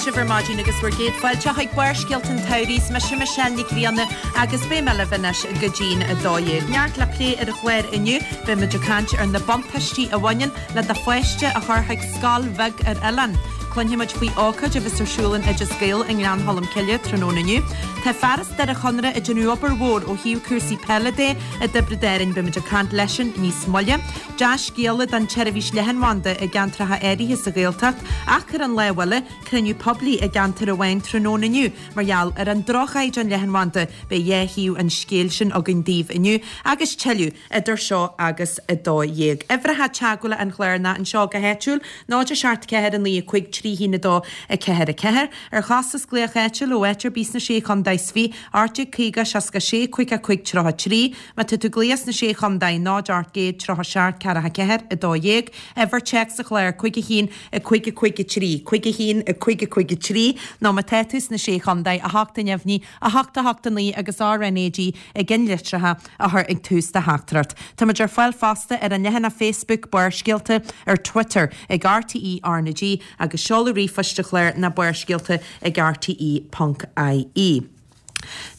Maith sibh ar maidin agus bhur gcéad fáilte chuig Barrscéalta an tSamhraidh. Is mise Michelle Nic Grianna agus beidh mé libh anois go dtí'n 12. Neart le plé ar an chlár inniu. Beidh muid ag caint ar na buntáistí a bhaineann le do pháiste a chur chuig scoil bheag ar oileán. Cluinfidh muid faoi ócáid a bheas ar siúl in Oideas Gael i nGleann Cholm Cille tráthnóna inniu. Tá fear as Doire Chonaire ag déanamh obair mhór ó thaobh cúrsaí peile de i dTiobraid Árainn. Beidh muid ag caint leisean níos moille. Dea-scéala don tseirbhís leathanbhanda i gceantracha áirithe sa Ghaeltacht ach ar an lámh eile, cruinniú poiblí i gceantar amháin tráthnóna inniu mar gheall ar an droch-chaighdeán leathanbhanda. Beidh dhá thaobh an scéil sin againn daoibh inniu agus tuilleadh idir seo agus 12. Uimhreacha teagmhála an chláir ná anseo go háitiúil, 0 7 4 9 5 3 1 2 4 4. Ar chostas glaoch áitiúil ó áit ar bith sna Sé Chontae is 20, 1850 66 55 33. Má tá tú ag glaoch sna Sé Chontae, 0 800 37 44 12, uimhir téacs an chláir, 5 1 5 5 3, 5 1 5 5 3, nó má tá tú sna Sé Chontae, 8 neamhní, 8 8 9 agus RnaG i gceannlitreacha a chur ag tús do theachtaireacht. Táimid ar fáil fosta ar an leathanach Facebook Barrscéalta, ar Twitter ag RTÉ RnaG agus seoladh ríomhphoist an chláir ná barrscéalta ag rte.ie.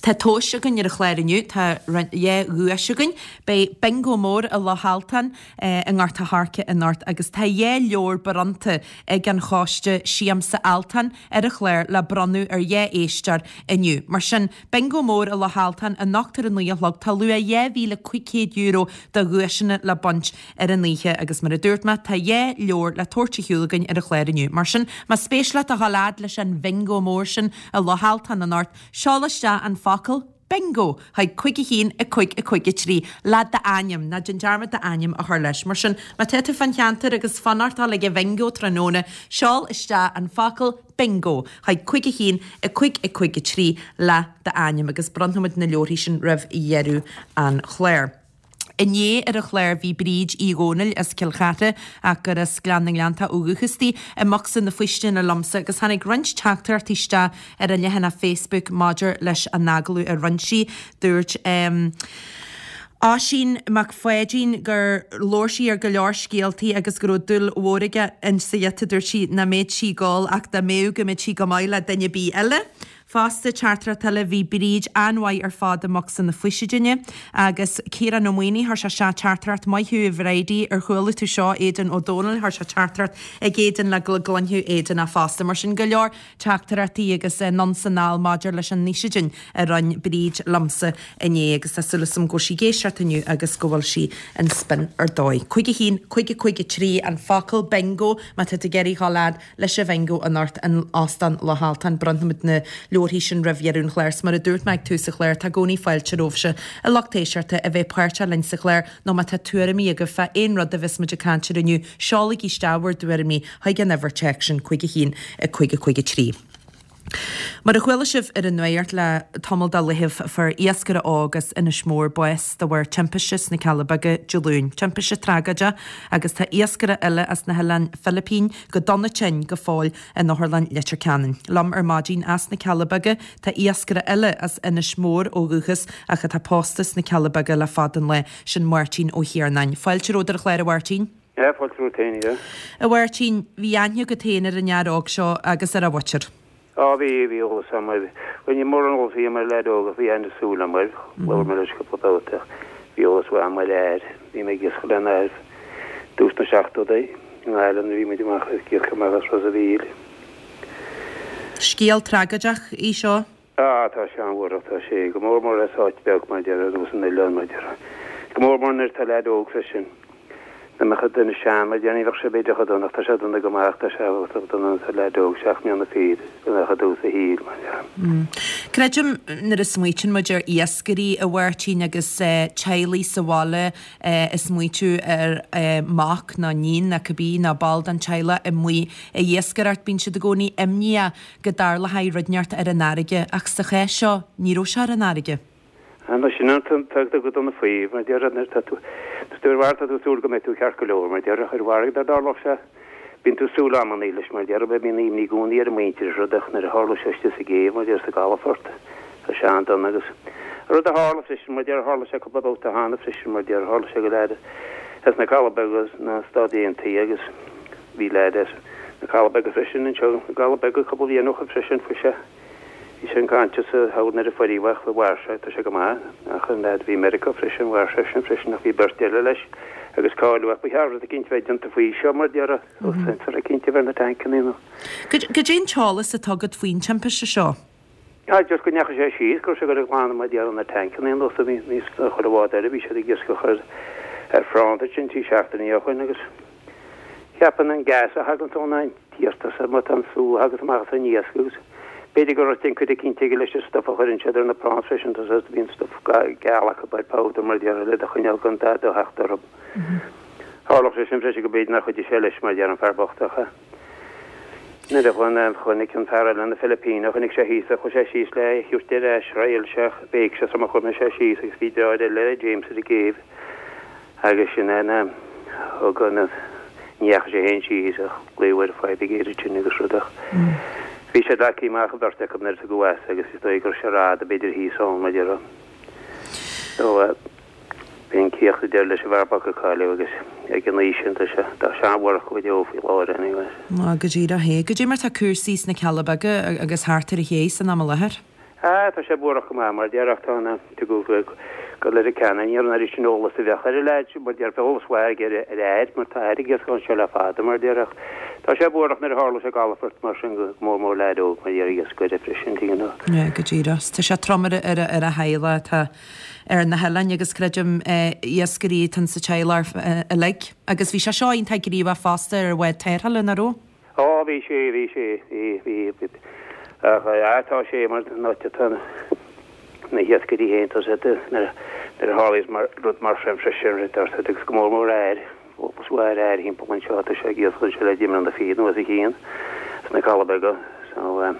Tá tomhais againn ar an chlár inniu, tá dhá dhuais againn. Beidh Bingo Mór i Loch Altáin i nGort a' Choirce anocht agus tá dhá leabhar bronnta ag an choiste Siamsa Altan ar an chlár le bronnadh ar dhá éisteoir inniu. Mar sin, Bingo Mór i Loch Altáin anocht ar a 9 a chlog, tá luach €2,500 de dhuaiseanna le baint ar an oíche agus mar a dúirt mé, tá dhá leabhar le tabhairt ar shiúl againn ar an chlár inniu. Mar sin, más spéis leat a dhul fhad leis an Bhingo Mór sin i Loch Altáin anocht, seol isteach an focal Bingo chuig 5 1 5 5 3 le d'ainm, ná déan dearmad d'ainm a chur leis. Mar sin, má tá tú fán cheantar agus fanacht a dhul ag an Bhingo tráthnóna, seol isteach an focal Bingo chuig 5 1 5 5 3 le d'ainm agus bronnfaimid na leabharthaí sin roimh dheireadh an chláir. Inné ar an chlár bhí Bríd Uí Dhónaill as Cill Chartha, ach gur as Gleann na nGleanntach ó dhúchas di, i mbocsa na faoistine liomsa agus tháinig roinnt teachtaireachtaí isteach ar an leathanach Facebook maidir leis an agallamh a rinne sí. Dúirt Oisín Mac Pháidín gur labhair sí ar go leor scéaltaí agus go raibh dúil mhór aige insa ghiota, dúirt sí nach mbeadh sí ag gol ach dá mbeadh go mbeadh sí go maith le duine ar bith eile. Fosta, teachtaireacht eile, bhí Bríd an-mhaith ar fad i mbocsa na faoisidine. Agus Ciarán Ó Maonaigh, chuir sé isteach teachtaireacht, Maith thú a Bhridie, ar chuala tú seo, Aidan Ó Dónaill, chuir sé teachtaireacht ag Aidan le go gcluinfeadh Aidan é fosta. Mar sin, go leor teachtaireachtaí agus anonn 's anall maidir leis an fhaoisidin a roinn Bríd liomsa inné agus tá súil agam go bhfuil sí ag éisteacht inniu agus go bhfuil sí in spin ar dóigh. 5 1 5 5 3 an focal bingo má tá tú ag iarraidh dhul fhad leis an bhingo anocht in Óstán Loch Altáin. Bronnfaimid na leabharthaí sin roimh dheireadh an chláir. 'S mar a dúirt mé ag tús an chláir, tá i gcónaí fáilte romhaibhse, a lucht éisteachta, a bheith páirteach linn sa chlár nó má tá tuairimí agaibh fá aon rud a bheas muid ag caint air inniu, seolaigí isteach bhur dtuairimí chuig an uimhir téacs sin, 5 1 5 5 3. Mar a chuala sibh ar an nuacht le tamall de laethibh, fuair iascaire óg as Inis Mór bás de bharr timpiste sna Cealla Beaga Dé Luain. Timpiste tragóideach agus tá iascaire eile as na hOileáin Philipín go dona tinn go fóill in Otharlann Leitir Ceanainn. Liom ar maidin as na Cealla Beaga tá iascaire eile as Inis Mór ó dhúchas ach atá pósta sna Cealla Beaga le fada an lá, sin Máirtín Ó hIarnáin. Fáilte romhat ar an chlár a Mháirtín. Yeah, fáilte romhat féin, yeah. A Mháirtín, bhí aithne agat féin ar an fhear óg seo agus ar a mhuintir. Á, bhí, bhí eolas agam air. Bhuel, ní mórán eolas a bhí agam ar leaid óg ach bhí aithne súl agam air. Labhair mé leis cúpla babhta ach bhí eolas mhaith agam air. Bhí mé ag iascach lena athair dtús na seachtóidí i nGaillimh nuair a bhí muid amach ag iascach amach as Ros a' Mhíl. Scéal tragóideach í seo. Á, tá sé an-bhuarthach, tá sé, go mór mór as áit bheag, mar a déarfá, ar nós an oileáin, mar a déarfá. Go mór mór nuair atá leaid óg freisin. Dá mbeadh duine sean, mar a déarfá, ní bheadh sé b'fhéidir chomh dona, ach tá sé dona go maith, ach tá sé chomh dona nuair atá leaid óg, 7 mbliana fichead, go mbeadh i dtús a shaoil, mar a déarfá. Creidim, nuair a smaoitíonn muid ar iascairí, a Mháirtín, agus teaghlaigh sa bhaile ag smaoitiú ar mac nó níon nó cibé nó ball den teaghlach amuigh ag iascaireacht, bíonn siad i gcónaí imníoch go dtarlóidh rud inteacht ar an fharraige, ach sa chás seo, ní raibh sé ar an fharraige. Anois, sin an t-am go dona faoi, mar a déarfá, nuair atá tú, tá tú ar an bhfarraige, tá tú ag súil go mbeidh tú ceart go leor, mar a déarfá, ar an bhfarraige dá dtarlódh sé, bíonn tú ag súil amannaí leis, mar a déarfá, bíonn imní i gcónaí ar an muintir is rud ach nuair a tharla sé istigh sa gcéibh, mar a déarfá, sa gcalafort, tá sé an-dona agus an rud a tharla freisin, mar a déarfá, tharla sé cúpla babhta cheana freisin, mar a déarfá, tharla sé go leaid as na Cealla Beaga sna Stáit Aontaithe agus bhí leaid as. Na Cealla Beaga freisin anseo, na gCealla Beaga cúpla bliain ó shin freisin, fuair sé, bhí sé unconscious thall nuair a fuair ach mhair sé, tá sé go maith, ach an leaid a bhí i Meiriceá freisin, mhair seisean freisin ach bhí beirt eile leis agus cailleadh ach ba cheart rud eicínt bheith déanta faoi seo mar déarfá, sensor eicínt a bheith ar na tancannaí nó. Goidé an t-eolas atá agat faoin timpiste seo? Ah, just go ndeachaigh sé síos, go raibh sé ag dul ag glanadh mar déarfá na tancannaí nó sa bhí níos chuile bhád eile, bhí siad ag iascach ar ar phránt ansin trí seachtainí ó shoin agus cheapfainn an gas a thaganns ón an t-iasc má tá an sú a thagas amach as an iasc agus b'fhéidir go raibh tionchar eicínt aige leis an stuff a chuireann siad ar na prawns freisin, tá a bhíonn stuff geal acu ar powder mar déarfá le do choinneáil gan dada a theacht orthu. Tharlódh sé sin freisin go b'fhéidir nár chuidigh sé leis mar deir an fear bocht ach. Nuair a chonaic an fear eile na Filipíneach, chonaic sé thíos é, chuaigh sé síos le é a thabhairt ar ais, thriail sé, bhéic sé sula chuaigh sé síos agus bhí deartháir eile, James, ar an gcéibh agus sin é na, thug an, ní dheachaigh sé féin síos ach glaodh ar an fire brigade ansin agus rud ach bhí siad leagtha amach an bheirt acu nuair a tugadh as agus is dóigh go raibh sé rada b'fhéidir thíos ann mar déarfá. So. Bhí an cíoch ag deireadh leis an bhfear bocht a cailleadh agus ag an aois sin tá sé tá sé an-bhuarach go deo faoi láthair anyway. Á, go díreach é. Goidé mar tá cúrsaí sna Cealla Beaga agus thart ar an ché san am i láthair? Á, tá sé buarach go maith mar déarfá ach tá na tugadh go Leitir Ceanainn ní raibh an oiread sin eolas a bheadh ar an leaid mar déarfá eolas mhaith aige ar ar air mar tá air ag iascach anseo le fada mar déarfá ach tá sé buarach nuair a tharla sé i gcalafort mar sin go mór mór leaid óg mar déarfá iascaire freisin you know. Yeah, go díreach. Tá sé trom ar ar a theaghlach atá ar na hoileáin agus creidim iascairí atá sa teaghlach uilig. Agus bhí sé seo iontach gníomhach fosta ar bhád tarrthála, nach raibh? Ó, bhí sé, bhí sé, bhí, bhí, bhí, ach a, tá sé mar an áit atá na hiascairí féin, tá siad, nuair a tharlaíos mar, rud mar sin freisin, rud ar siad agus go mór mór air, fós mhair air thimpeall anseo, tá sé ag iascach anseo le deich mbliana fichead anuas a chinn sna Cealla Beaga, so,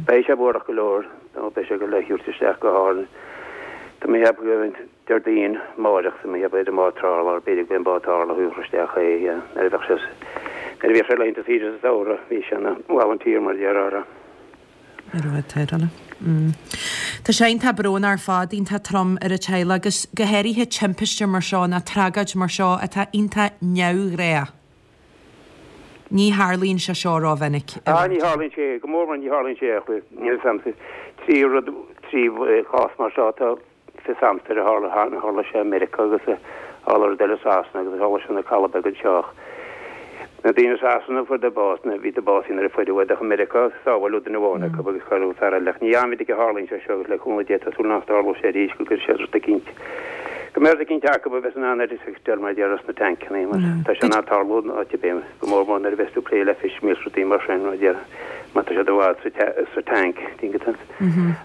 Beidh sé buarach go leor nó beidh sé ag dul le thabhairt isteach go hÁrainn. Tá mé ag ceapadh go mbeidh Déardaoin amáireach tá mé ag ceapadh ar an mbád tarrthála b'fhéidir go mbeidh an bád tarrthála a thabharfadh isteach é nuair a bheadh sé nuair a bhíodh sé laethanta saoire sa samhradh bhí sé ina volunteer mar a déarfá. Ar an bhád tarrthála. Tá sé iontach brónach ar fad, iontach trom ar an teaghlach agus go háirithe timpiste mar seo nó tragóid mar seo atá iontach neamhghnách. Ní tharlaíonn sé seo rómhinic. Ah, ní tharlaíonn sé, go mór mór ní tharlaíonn sé ach níl 'fhios a'msa trí rud, trí chás mar seo atá fios a'msa ar a tharla, tharla sé i Meiriceá agus a tharla rud eile i Sasana agus a tharla sé na Cealla Beaga anseo ach na daoine i Sasana fuaireadar bás, na, bhíodar básaithe nuair a fuaireadh iad ach i Meiriceá sábháileadh duine amháin acu agus cailleadh fear eile ach ní an-mhinic a tharlaíonn sé seo agus le cúnamh Dé tá súil nach dtarlóidh sé arís go gcuirfidh siad rud eicínt Go mbeidh rud eicínt acu a bheas in ann ar fheiceáil mar a déarfá sna tancannaí mar tá sé in ann tarlú in áit ar bith, go mór mór nuair a bheas tú ag plé le fish meal rudaí mar sin mar a déarfá má tá siad i bhfad sa sa tank tuigeann tú.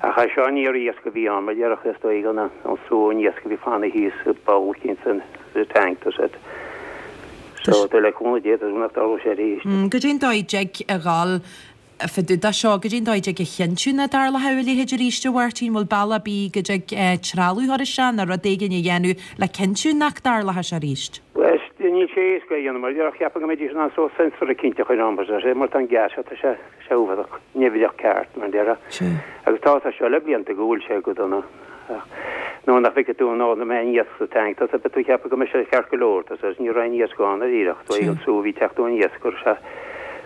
Ach é seo ní ar iasc a bhí ann mar a déarfá is dóigh an an sú an iasc a bhí fanaithe thíos i bpoll eicínt san sa tank tá siad so tá le cúnamh Dé tá súil nach dtarlóidh sé arís. Goidé an dóigh dtig a dhul Fá dtaobh de seo, goidé an dóigh a dtig a chinntiú nach dtarlóidh a leithéid arís, a Mháirtín? Bhfuil bealach ar bith go dtig trealamh a chur isteach nó rud éigin a dhéanamh le cinntiú nach dtarlóidh sé arís? Bhuel, níl sé éasca a dhéanamh mar a cheapfainn go mbeidís in ann sórt sensor eicínt a chur ann mar sé mar tá an gas seo tá sé sé uafásach nimhneach ceart mar a déarfá. Agus tá sé seo le blianta go bhfuil sé go dona. Ach nuair nach bhfeicfidh tú an mbeidh aon iasc sa tank, tá beidh tú ag ceapadh go mbeidh sé ceart go leor, tá sé, ní raibh aon iasc ann dáiríre, ach an sú a bhí ag teacht ón iasc go raibh sé,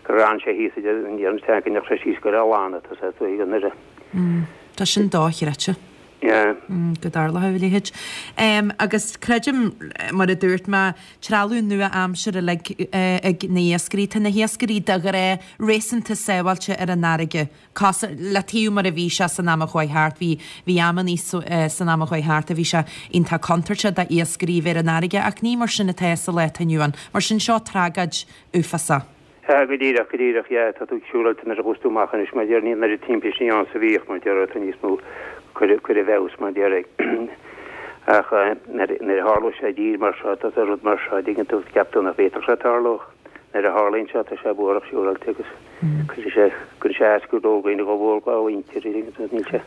gur fhan sé thíos i ndiaidh an tank, go ndeachaigh sé síos go raibh lán, tá sé, tú ag an oireadh. Tá sin dochreidte. Yeah. Go dtarlódh a leithéid. Agus creidim, mar a dúirt mé, trealamh nua-aimseartha uilig ag na hiascairí. Tá na hiascairí de ghnáth réasúnta sábháilte ar an fharraige. Cosúil le taobh mar a bhí sé san am a chuaigh thart, bhí, bhí amannaí san am a chuaigh thart a bhí sé iontach contúirteach d'iascairí a bheith ar an fharraige ach ní mar sin atá sa lá atá inniu ann. Mar sin seo tragóid uafásach. Sea, go díreach, go díreach, yeah, tá tú siúráilte nuair a chuas tú amach anois mar déarfá, níl an oiread timpistí ann 's a bhíodh mar déarfá, tá níos mó cuir, cuir i bhfeabhas mar déarfá. Ach nuair, nuair a tharlóidh sé i dtír mar seo, tá rud mar seo, dtuigeann tú, cheap tú nach bhféadfadh sé tarlú ach nuair a tharlaíonn sé, tá sé buarach siúráilte agus. Cuireann sé cuireann sé as go leor daoine go mhór dá mhuintir agus níl sé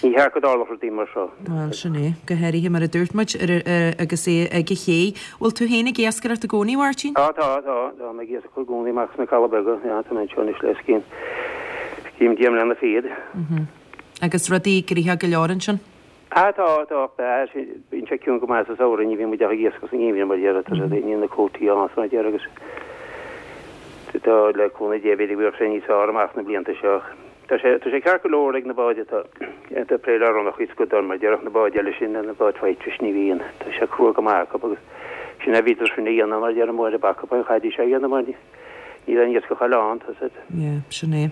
ní cheart go dtarlódh rudaí mar seo. Bhuel, sin é. Go háirithe mar a dúirt muid ar agus é ag an ché. Bhfuil tú féin ag iascaireacht i gcónaí, a Mháirtín? Tá, tá, tá. Tá mé ag iascaireacht i gcónaí amach sna Cealla Beaga. Yeah, tá mé anseo anois le scín scín deich mbliana fichead. Agus rudaí gnoitheach go leor ansin? Ah tá, tá, ach bíonn sé ciúin go maith sa samhradh, ní bhíonn muid ach ag iascach sa ngeimhreadh mar a déarfá, tá sé, níl na cuótaí ann mar a déarfá agus Tá, le cúnamh Dé, b'fhéidir go mbeadh sé níos fearr amach na blianta seo. Tá sé, tá sé ceart go leor ag na báid atá, atá ag préileáil ronnach is go dona, mar déarfadh na báid eile sin, na báid faighte, ní bhíonn. Tá sé crua go maith acu agus sin a bhíodar sin a dhéanamh mar déarfadh Máire Bac an chaidí seo a dhéanamh mar ní, níl aon iascach eile ann, tá siad. Yeah, sin é.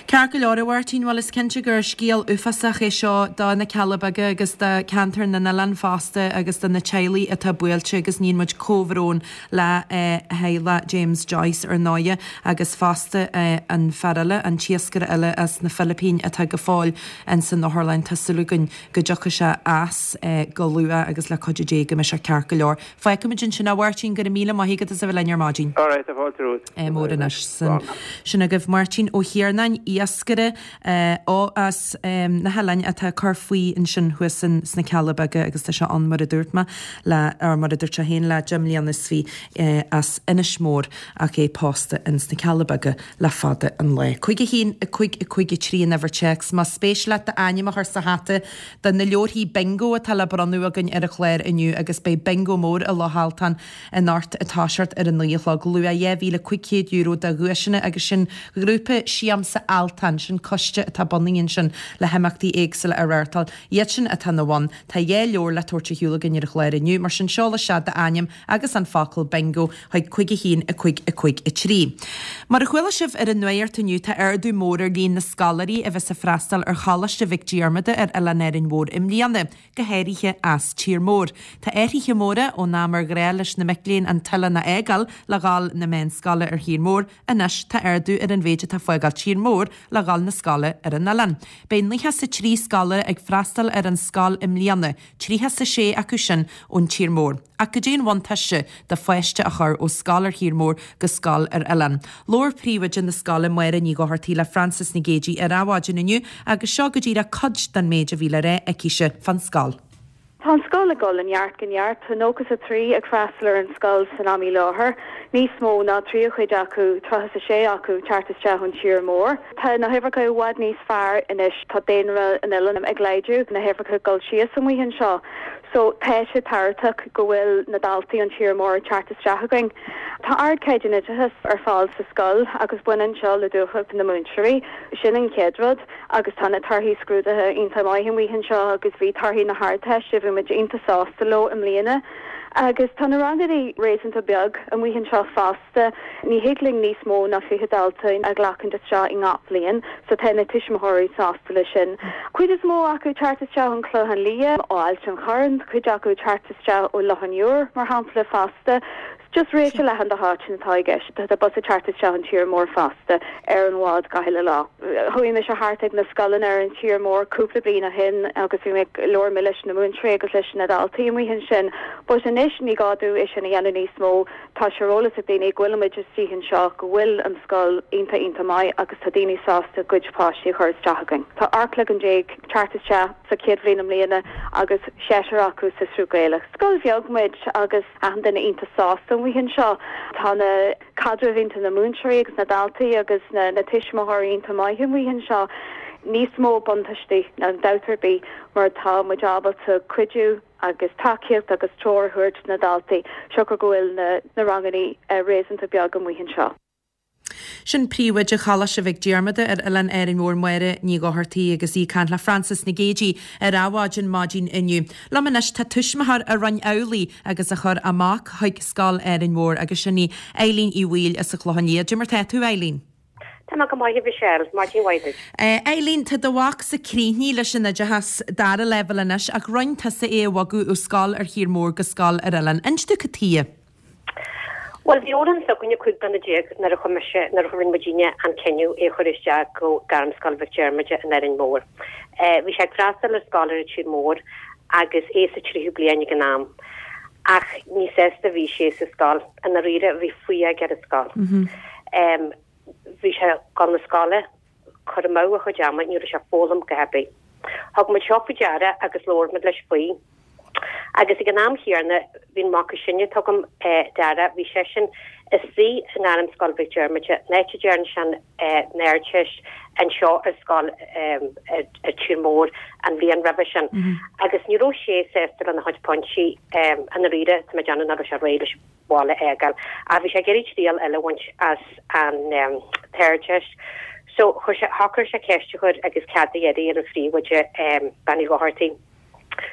Ceart go leor, a Mháirtín, bhuel is cinnte gur scéal uafásach é seo do na Cealla Beaga agus do cheantar na n-oileán fosta agus do na teaghlaigh atá buailte agus níonn muid comhbhrón le theaghlach James Joyce ar ndóighe agus fosta an fear eile, an t-iascaire eile as na Filipín atá go fóill ins an otharlann. Tá súil againn go dtiocfaidh sé as go luath agus le cuidiú Dé go mbeidh sé ceart go leor. Fágfaimid ansin é a Mháirtín, go raibh míle maith agat as a bheith linn ar maidin. All right, tá fáilte romhat. Mór anois. Sin, sin agaibh Máirtín Ó hIarnáin, iascaire ó as na hoileáin atá ag cur faoi ansin thuas sna Cealla Beaga agus tá sé ann mar a dúirt mé le, or mar a dúirt sé féin le 10 mbliana is 20 as Inis Mór ach é pósta ins na Cealla Beaga le fada an lá. 5 1 5 5 3 an uimhir téacs más spéis leat d'ainm a chur sa hata do na leabharthaí bingo atá le bronnadh againn ar an chlár inniu agus beidh bingo mór i Loch Altan anocht ag toiseacht ar a 9 a chlog. Luach €2,500 de dhuaiseanna agus sin Grúpa Siamsa Altan, sin coiste atá bunaithe ansin le himeachtaí éagsúla a reáchtáil. Iad sin atá ina bhun. Tá 2 leabhar le tabhairt ar shiúl againn ar an chlár inniu, mar sin seol isteach d'ainm agus an focal bingo chuig 5 1 5 5 3. Mar a chuala sibh ar an nuacht inniu tá ardú mór ar líon na scoláirí a bheas ag freastal ar Choláiste Mhic Diarmada ar Oileán Árainn Mhór i mbliana. go háirithe as tír mór. Tá athruithe móra ón am ar ghnáth leis na mic léinn an t-oileán a fhágáil le dhul na meánscoile ar thír mór, anois tá ardú ar an mhéid atá ag fágáil tír mór le dhul na scoile ar an oileán. Beidh 93 scoláire ag freastal ar an scoil i mbliana, 36 acu sin ón tír mór. Ach goidé an bhuntáiste do pháiste a chur ó scoil ar thír mór go scoil ar oileán? Labhair príomhoide na scoile Máire Ní Dhochartaigh le Frances Nic Géadaigh ar Adhmhaidin inniu agus seo go díreach cuid den méid a bhí le rá aicise fán scoil. Tá an scoil ag dul ó neart go neart. Tá 93 ag freastal ar an scoil san am i láthair. Níos mó ná tríú cuid acu, 36 acu, teacht isteach ón tír mór. Tá na huimhreacha i bhfad níos fearr anois. Tá daonra an oileáin ag laghdú, na huimhreacha ag dul síos amuigh anseo. So tá sé tábhachtach go bhfuil na daltaí ón tír mór ag teacht isteach againn. Tá ardchaighdeán oideachais ar fáil sa scoil agus baineann seo le dúthracht na múinteoirí. Sin an chéad rud agus tá na torthaí scrúdaithe iontach maith amuigh anseo agus bhí torthaí na hArdteiste, bhí muid iontach sásta leo i mbliana. Agus tá na ranganna réasúnta beag amuigh anseo fosta. Ní thig linn níos mó ná 20 dalta a ghlacaint isteach i ngach bliain, so tá na tuismitheoirí sásta leis sin. Cuid is mó acu ag teacht isteach ón Chlochán Liath, ó Ailt an Chorráin, cuid acu ag teacht isteach ó Loch an Iúir, mar shampla, fosta. Just réimse leathan de háiteanna atá i gceist. Tá bus ag teacht isteach ón tír mór fosta ar an bhád gach uile lá. Chuaigh mise thart ag na scoileanna ar an tír mór cúpla bliain ó shin agus bhí mé ag labhair mé leis na múinteoirí agus leis na daltaí amuigh ansin. But anois ní gá domh é sin a dhéanamh níos mó. Tá sé ar eolas ag daoine go bhfuil muid istigh anseo, go bhfuil an scoil iontach iontach maith agus tá daoine sásta a gcuid páistí a chur isteach againn. Tá 18 cloigeann ag teacht isteach sa chéad bhliain i mbliana agus seisear acu sa sruth Gaelach. Scoil bheag muid agus achan duine iontach sásta amuigh anseo. Tá na caidrimh idir na múinteoirí agus na daltaí agus na tuismitheoirí iontach maith amuigh anseo. Níos mó buntáistí ná dabht ar bith mar tá muid ábalta cuidiú agus tacaíocht agus treoir a thabhairt do na daltaí, siocair go bhfuil na ranganna réasúnta beag amuigh anseo. Sin Príomhoide Choláiste Mhic Diarmada ar Oileán Árainn Mhór Máire Ní Dhochartaigh agus í ag caint le Frances Nic Géadaigh ar Adhmhaidin maidin inniu. Liom anois tá tuismitheoir a rinne amhlaidh agus a chuir a mac chuig Scoil Árainn Mhór agus sin í Eileen Uí Bhaoill as an Chlochán Liath. Cad é mar tá tú, Eileen? Tá mé go maith, a Mhichelle. Maidin mhaith duit. Eileen, tá do mhac sa críochnaithe leis an oideachas dara leibhéal anois ach rinne tusa é a bhogadh ó scoil ar thír mór go scoil ar oileán. Inis domh cad tuighe. Bhuel, bhí Odhrán s'againne 15 bliana nuair a chuir mise, nuair a rinne muidinne an cinneadh é a chur isteach go Gairmscoil Mhic Diarmada in Árainn Mhór. Bhí sé ag freastal ar scoil ar an tír mór agus é sa tríú bliain ag an am. Ach ní sásta a bhí sé sa scoil. I ndáiríre, bhí fuath aige ar an scoil. Bhí sé ag dul na scoile, cur amú a chuid ama, ní raibh sé ag foghlaim a dhath ar bith. Thug muid seo faoi deara agus labhair muid leis faoi. Agus ag an am chéanna, bhí an mac is sine atá agam, Dara, bhí seisean. Istigh i nGairmscoil Mhic Diarmada, an áit a dtearn sé an Ardteist anseo ar scoil ar Tír Mór an bhliain roimhe sin agus ní raibh sé sásta lena chuid pointí i ndáiríre, tá mé ag déanamh nach raibh sé réidh leis an bhaile a fhágáil ach bhí sé ag iarraidh triail eile a bhaint as an tArdteist so chuir sé, shocraigh sé ceist a chur agus cead a iarraidh ar an phríomhoide, Bean Uí Dhochartaigh.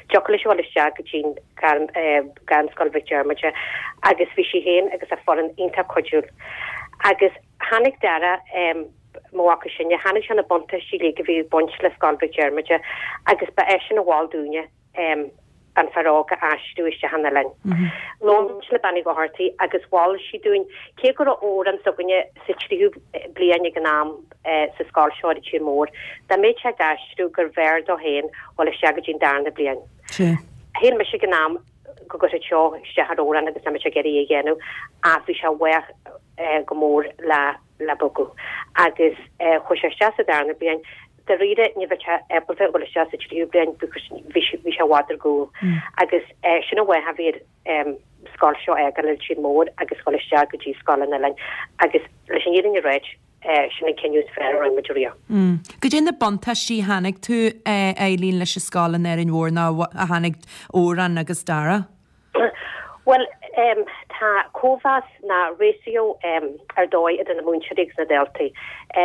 Dtiocfadh leis a dhul isteach go dtí'n Gairmscoil Mhic Diarmada agus bhí sí féin agus a foireann iontach cuidiúil. Agus chonaic Dara, mo mhac is sine, chonaic sé na buntáistí uilig a bhí ag baint le Scoil Mhic Diarmada agus ba eisean a mhol dúinne an fear óg a aistriú isteach an oileáin. Labhair muid le Bean Uí Dhochartaigh agus mhol sí dúinn, cé go raibh Odhrán s'againne sa tríú bliain ag an am, sa scoil seo ar an tír mór, dá mbeadh sé ag aistriú gurbh fhearr dó féin dhul isteach go dtí an darna bliain. Shíl mise ag an am go gcuirfeadh seo isteach ar Odhrán agus nach mbeadh sé ag iarraidh é a dhéanamh ach bhí sé bhfách go mór le le bogadh agus chuaigh sé isteach sa darna bliain. Dáiríre ní bheadh sé ábalta dhul isteach sa tríú bliain because bhí sé i bhfad ar gcúl agus sin an fáth a bhí air scoil seo a fhágáil ar an tír mór agus dhul isteach go dtí scoil an oileáin agus leis an fhírinne a ráit, sin an cinneadh is fearr a rinne muid riamh. Goidé na buntáistí a chonaic tú, a Eileen, leis an scoil in Árainn Mhór nó a chonaic Odhrán agus Dara? Bhuel, tá cóimheas nó ratio ar dóigh idir na múinteoirí agus na daltaí.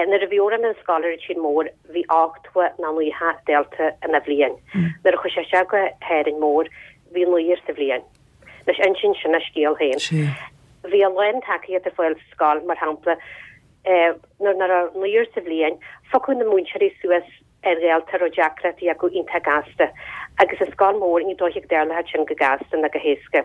Nuair a bhí Odhrán ar an scoil ar an tír mór, bhí 80 nó 90 dalta ina bhliain. Nuair a chuaigh sé isteach go hÁrainn Mhór, bhí naonúr sa bhliain. Anois, insíonn sin a scéal féin. Bhí a lán tacaíocht ar fáil sa scoil, mar shampla, nuair nach raibh naonúr sa bhliain, phiocadh na múinteoirí suas ar dhalta a raibh deacrachtaí acu iontach gasta, agus i scoil mhór ní dóiche go dtarlódh sin go gasta ná go héasca.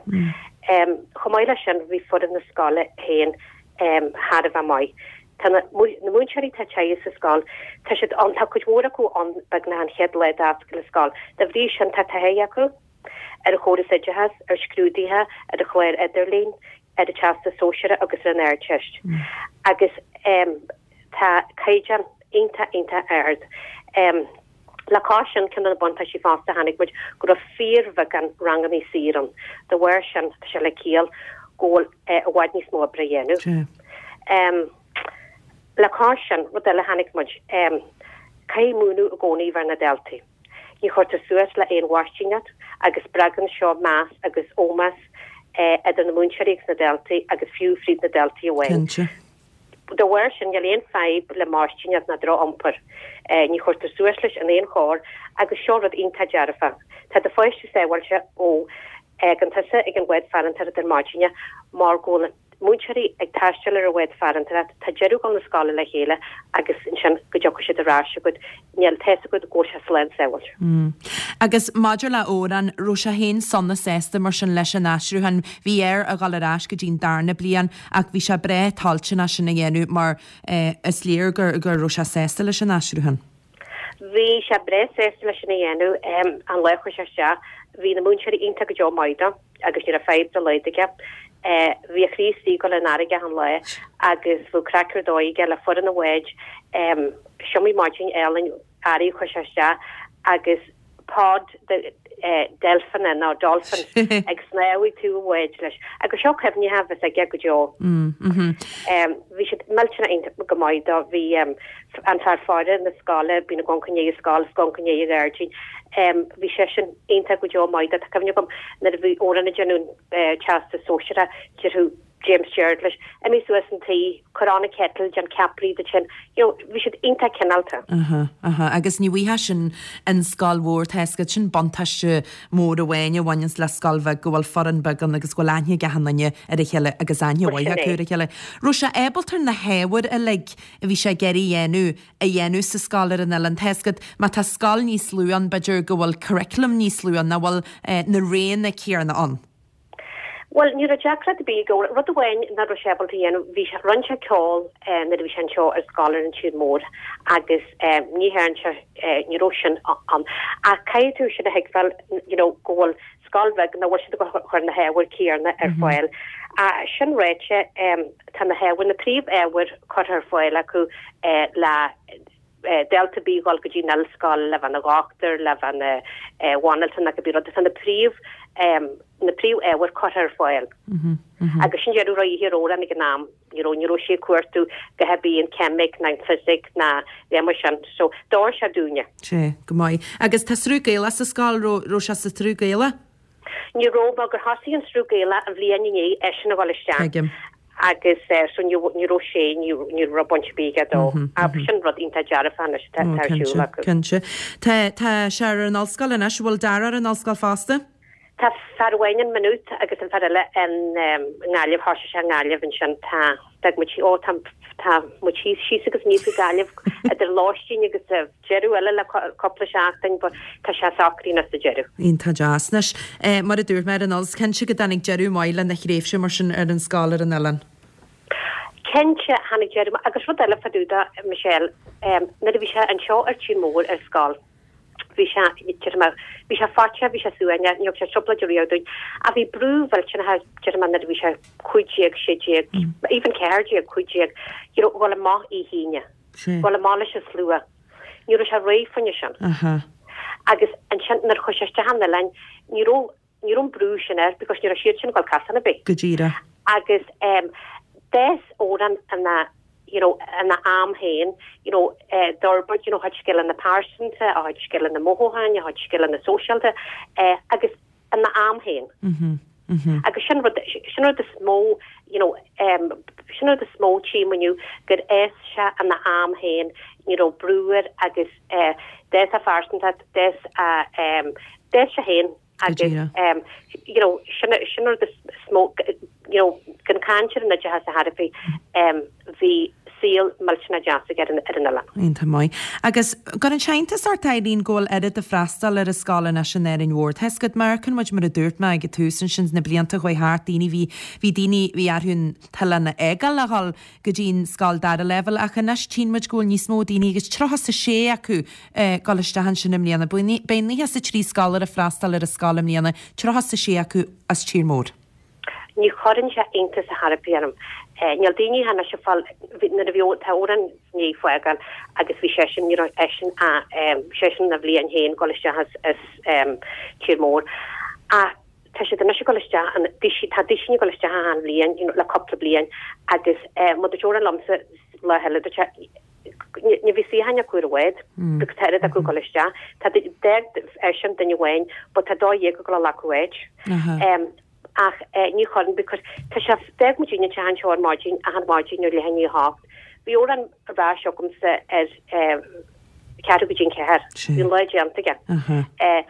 Chomh maith leis sin, bhí foireann na scoile féin thar a bheith maith. Tá na múinteoirí atá tagtha sa scoil, tá siad ann, tá cuid mhór acu ann beagnach an chéad lá d'oscail an scoil. Dá bhrí sin, tá taithí acu. ar an chóras oideachais, ar scrúduithe, ar an chlár idirlín, ar an Teastas Sóisearach agus ar an Ardteist. Agus tá caighdeán iontach, iontach ard. Le cois sin, ceann de na buntáistí fosta a chonaic muid go raibh fíorbheagán ranganna saor ann. Dá bharr sin, tá sé le ciall go bhfuil i bhfad níos mó oibre a dhéanamh. Le cois sin, rud eile a chonaic muid, caithfidh múineadh i gcónaí a bheith ar na daltaí. Ní chuirtear suas le aon mhaistíneacht agus spreagann seo meas agus ómós idir na múinteoirí agus na daltaí agus fiú fríd na daltaí amháin. Cinnte. Dá bharr sin, níl aon fadhb le maistíneacht ná droch-iompar. Ní chuirtear suas leis in aon chor agus seo rud iontach dearfach. Tá do pháiste sábháilte ó fhágann tusa ag an bhád farantóireachta ar maidin mar go bhfuil an. múinteoirí ag taisteal ar an bhád farantóireachta, tá deireadh ag dul na scoile le chéile agus ansin go dtiocfaidh siad ar ais chugat, níl, tá fhios agat go bhfuil sé slán sábháilte. Agus maidir le Odhrán, raibh sé féin sona sásta mar sin leis an aistriúchán? Bhí air a dhul ar ais go dtí'n darna bliain ach bhí sé breá toilteanach sin a dhéanamh mar is léir go raibh sé sásta leis an aistriúchán. Bhí sé breá sásta leis sin a dhéanamh. An lá a chuaigh sé isteach, bhí na múinteoirí iontach go deo maith dó agus ní raibh fadhb dá laghad aige. Bhí a chroí istigh ag dul an fharraige achan lá agus bheadh craic ar dóigh aige le foireann an bháid. Is iomaí maidin álainn earraigh a chuaigh sé isteach agus pod de deilfeanna nó dolphins ag snámh ag taobh an bháid leis. Agus seo cuimhní a bheas aige go deo. Bhí siad millteanach iontach go maith dó. Bhí an fear faire na scoile, bíonn ag amharc i ndiaidh an scoil, is ag amharc i ndiaidh an ghairdín. Bhí seisean iontach go deo maith dó. Tá cuimhne agam nuair a bhí Odhrán ag déanamh an teastas sóisearach, déarfadh James Gerard leis, imigh suas an tae, cuir on an kettle, déan ceapairí duit féin. You know, bhí siad iontach cineálta. Aha, aha. Agus ní bhfaighfeá sin in scoil mhór, tá fhios agat, sin buntáiste mór amháin a bhaineanns le scoil bheag, go bhfuil foireann beag ann agus go bhfuil aithne ag achan duine ar a chéile agus aithne mhaith acu ar a chéile. Raibh sé ábalta ar na hábhair uilig a bhí sé ag iarraidh a dhéanamh, a dhéanamh sa scoil ar an oileán? Tá fhios agat, má tá scoil níos lú ann, b'fhéidir go bhfuil curriculum níos lú ann, nach bhfuil na roghanna céanna ann. Bhuel, ní raibh deacracht ar bith aige. Rud amháin nach raibh sé ábalta a dhéanamh, bhí sé, rinne sé ceol nuair a bhí sé anseo ar scoil ar an tír mór agus ní dhearn sé, ní raibh sin ann. Ach caithfidh tú sin a thuigbheáil, you know, go bhfuil scoil bheag nach bhfuil siad ag cur na hábhair céanna ar fáil. Sin ráite, tá na hábhair, na príomh-ábhair curtha ar fáil acu le dalta ar bith a dhul go dtí an ollscoil, le bheith ina dhochtúir, le bheith ina bhanaltra nó cibé rud. Tá na príomh. na príomh-ábhair curtha ar fáil. Agus sin deireadh a raibh ar Odhrán ag an am, you know, ní raibh sé ag cuartú go hebí an ceimic ná an fisic ná a dhath mar sin. So, d'fhóir sé dúinne. Sea, go maith. Agus tá sruth Gaelach sa scoil, raibh, raibh sé sa tsruth Gaelach? Ní raibh, mar gur thosaigh an sruth Gaelach an bhliain i ndiaidh eisean a dhul isteach. Tuigim. Agus so ní, ní raibh sé, ní, ní raibh baint ar bith aige dó. Ach sin rud iontach dearfach anois atá, atá ar siúl acu. Cinnte. Tá, tá sé ar an ollscoil anois, an bhfuil Dara ar an ollscoil fosta? Tá fear amháin in Maynooth agus an fear eile in nGaillimh, thosaigh sé i nGaillimh ansin, tá, d'fhág muid, ó tá, tá muid thíos, síos agus aníos go Gaillimh idir lóistín agus deireadh eile le cúpla seachtain but tá sé socraithe anois sa deireadh. Iontach deas. Anois, mar a dúirt mé ar an nós, cinnte go dtáinig deireadh maith lena thréimhse mar sin ar an scoil ar an oileán. Cinnte, tháinig deireadh maith agus rud eile fá dtaobh de, Michelle, nuair a bhí sé anseo ar Tír Mór ar scoil, Bhí sé, déarfaidh mé, bhí sé faitíoch, bhí sé suaimhneach, ní thug sé trioblóid riamh dúinn. Ach bhí brú mhillteanach air, déarfaidh mé, nuair a bhí sé 15, 16, even 14, 15, you know, dhul amach oíche Aoine, dhul amach leis an slua. Ní raibh sé réidh fá choinne sin. Agus ansin nuair a chuaigh sé isteach an oileáin, ní raibh, ní raibh an brú sin air because ní raibh siad sin ag dul casán ar bith. Go díreach. Agus em d'fhás Odhrán ina you know ina am féin you know eh d'fhorbair you know a chuid scileanna pearsanta, a chuid scileanna mothúcháin, a chuid scileanna sóisialta eh agus ina am féin. Mhm. Mhm. Agus sin rud sin rud is mó you know em sin rud is mó tchím inniu gur fhás sé ina am féin, ní raibh brú air agus eh d'fhás a phearsantacht, d'fhás a em d'fhás sé féin. Agus you know sin sin rud is mó you know gan caint ar an oideachas a thairbhí bhí saol millteanach deas aige ar an ar an oileán. Iontach maith. Agus cuireann sé iontas ort Eileen go bhfuil oiread ag freastal ar an scoil anois in Árainn Mhór. Tá 'fhios agat mar amharcann muid mar a dúirt mé ag an tús ansin sna blianta a chuaigh thart daoine bhí bhí daoine bhí orthu an t-oileán a fhágáil a dhul go dtí an scoil dara leibhéal ach anois tchíonn muid go bhfuil níos mó daoine agus 36 acu ag dul isteach ansin i mbliana. Beidh 93 scoláire ag freastal ar an scoil i mbliana, 36 acu as tír mór. Ní chuireann sé iontas ar chor ar bith orm. Níl daoine anois ag fáil, nuair a bhí, tá Odhrán i ndiaidh fágáil agus bhí seisean, ní raibh eisean ach, seisean ina bhliain féin ag dul isteach as, as tír mór. Ach tá siad anois ag dul isteach, an, tá duisín ag dul isteach achan bhliain, you know, le cúpla bliain agus mar dúirt Odhrán liomsa lá eile, dúirt sé, Ní bhí suíocháin acu ar an bhád because tá oiread acu ag dul isteach. Tá d'fhág eisean duine amháin but tá 12 ag dul a ghlacadh áit. Ach ní chuireann because tá sé d'fhág muid an teach anseo ar maidin achan mhaidin ar leath i ndiaidh a hocht. Bhí Odhrán ar ais agamsa ar ceathrú go dtí an ceathair. Bhí an lá déanta aige.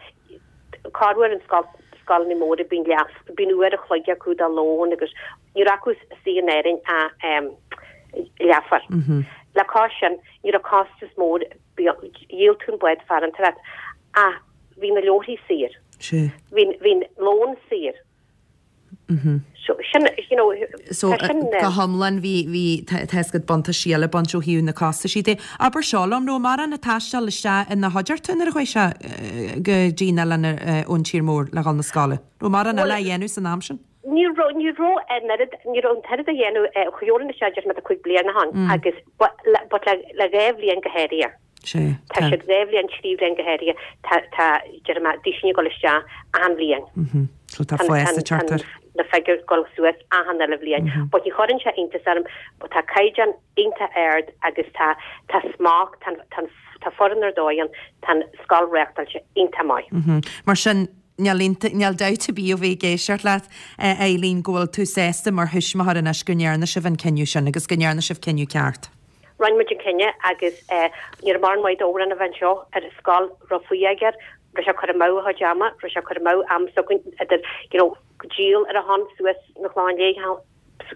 Corruair in scoileanna móra bíonn leath bíonn uair a chloig acu do lón agus Ní raibh acu istigh in Árainn ach leathuair. Le cois sin, ní raibh costas mór, dhíol tú an bád farantóireacht ach bhí na leabharthaí saor. Bhí an lón saor. So sin, you know, So, tá sin. go hiomlán bhí, bhí, tá 'fhios agat buntáistí eile ag baint ó thaobh na costaisí de. Abair seo liom, raibh mórán ag taisteal isteach ina chuideachta nuair a chuaigh sé go dtí an oileán ón tír mór le dhul 'na scoile? Raibh mórán eile á dhéanamh san am sin? Ní raibh, ní raibh an oiread, ní raibh an t-oiread á dhéanamh, chuaigh Odhrán isteach déarfaidh mé tá 5 bliana ó shin agus but le, but le, le 2 bhliain go háirithe. Sea, Tá tá. siad 2 bhliain, 3 bhliain go háirithe, tá, tá, déarfaidh mé, duisín ag dul isteach achan bhliain. Mhm. So tá Tá, fás tá, ag teacht tá air. na figiúir ag dul suas achan uile bhliain. But ní chuireann sé iontas orm, but tá caighdeán iontach ard agus tá, tá smacht, tá, tá, tá foireann ar dóigh ann, tá an scoil reachtáilte iontach maith. Mhm. Mar sin, Níl níl dabht ar bith ó bheith ag éisteacht leat, a Eileen, go bhfuil tú sásta mar thuismitheoir anois go ndearna sibh an cinneadh sin agus go ndearna sibh cinneadh ceart. Rinne muid an cinneadh agus ní raibh mórán maith d'Odhrán a bheith anseo ar an scoil, raibh fuath aige air, raibh sé ag cur amú a chuid ama, raibh sé ag cur amú am s'againn idir you know díol ar a shon suas na Clochán Léith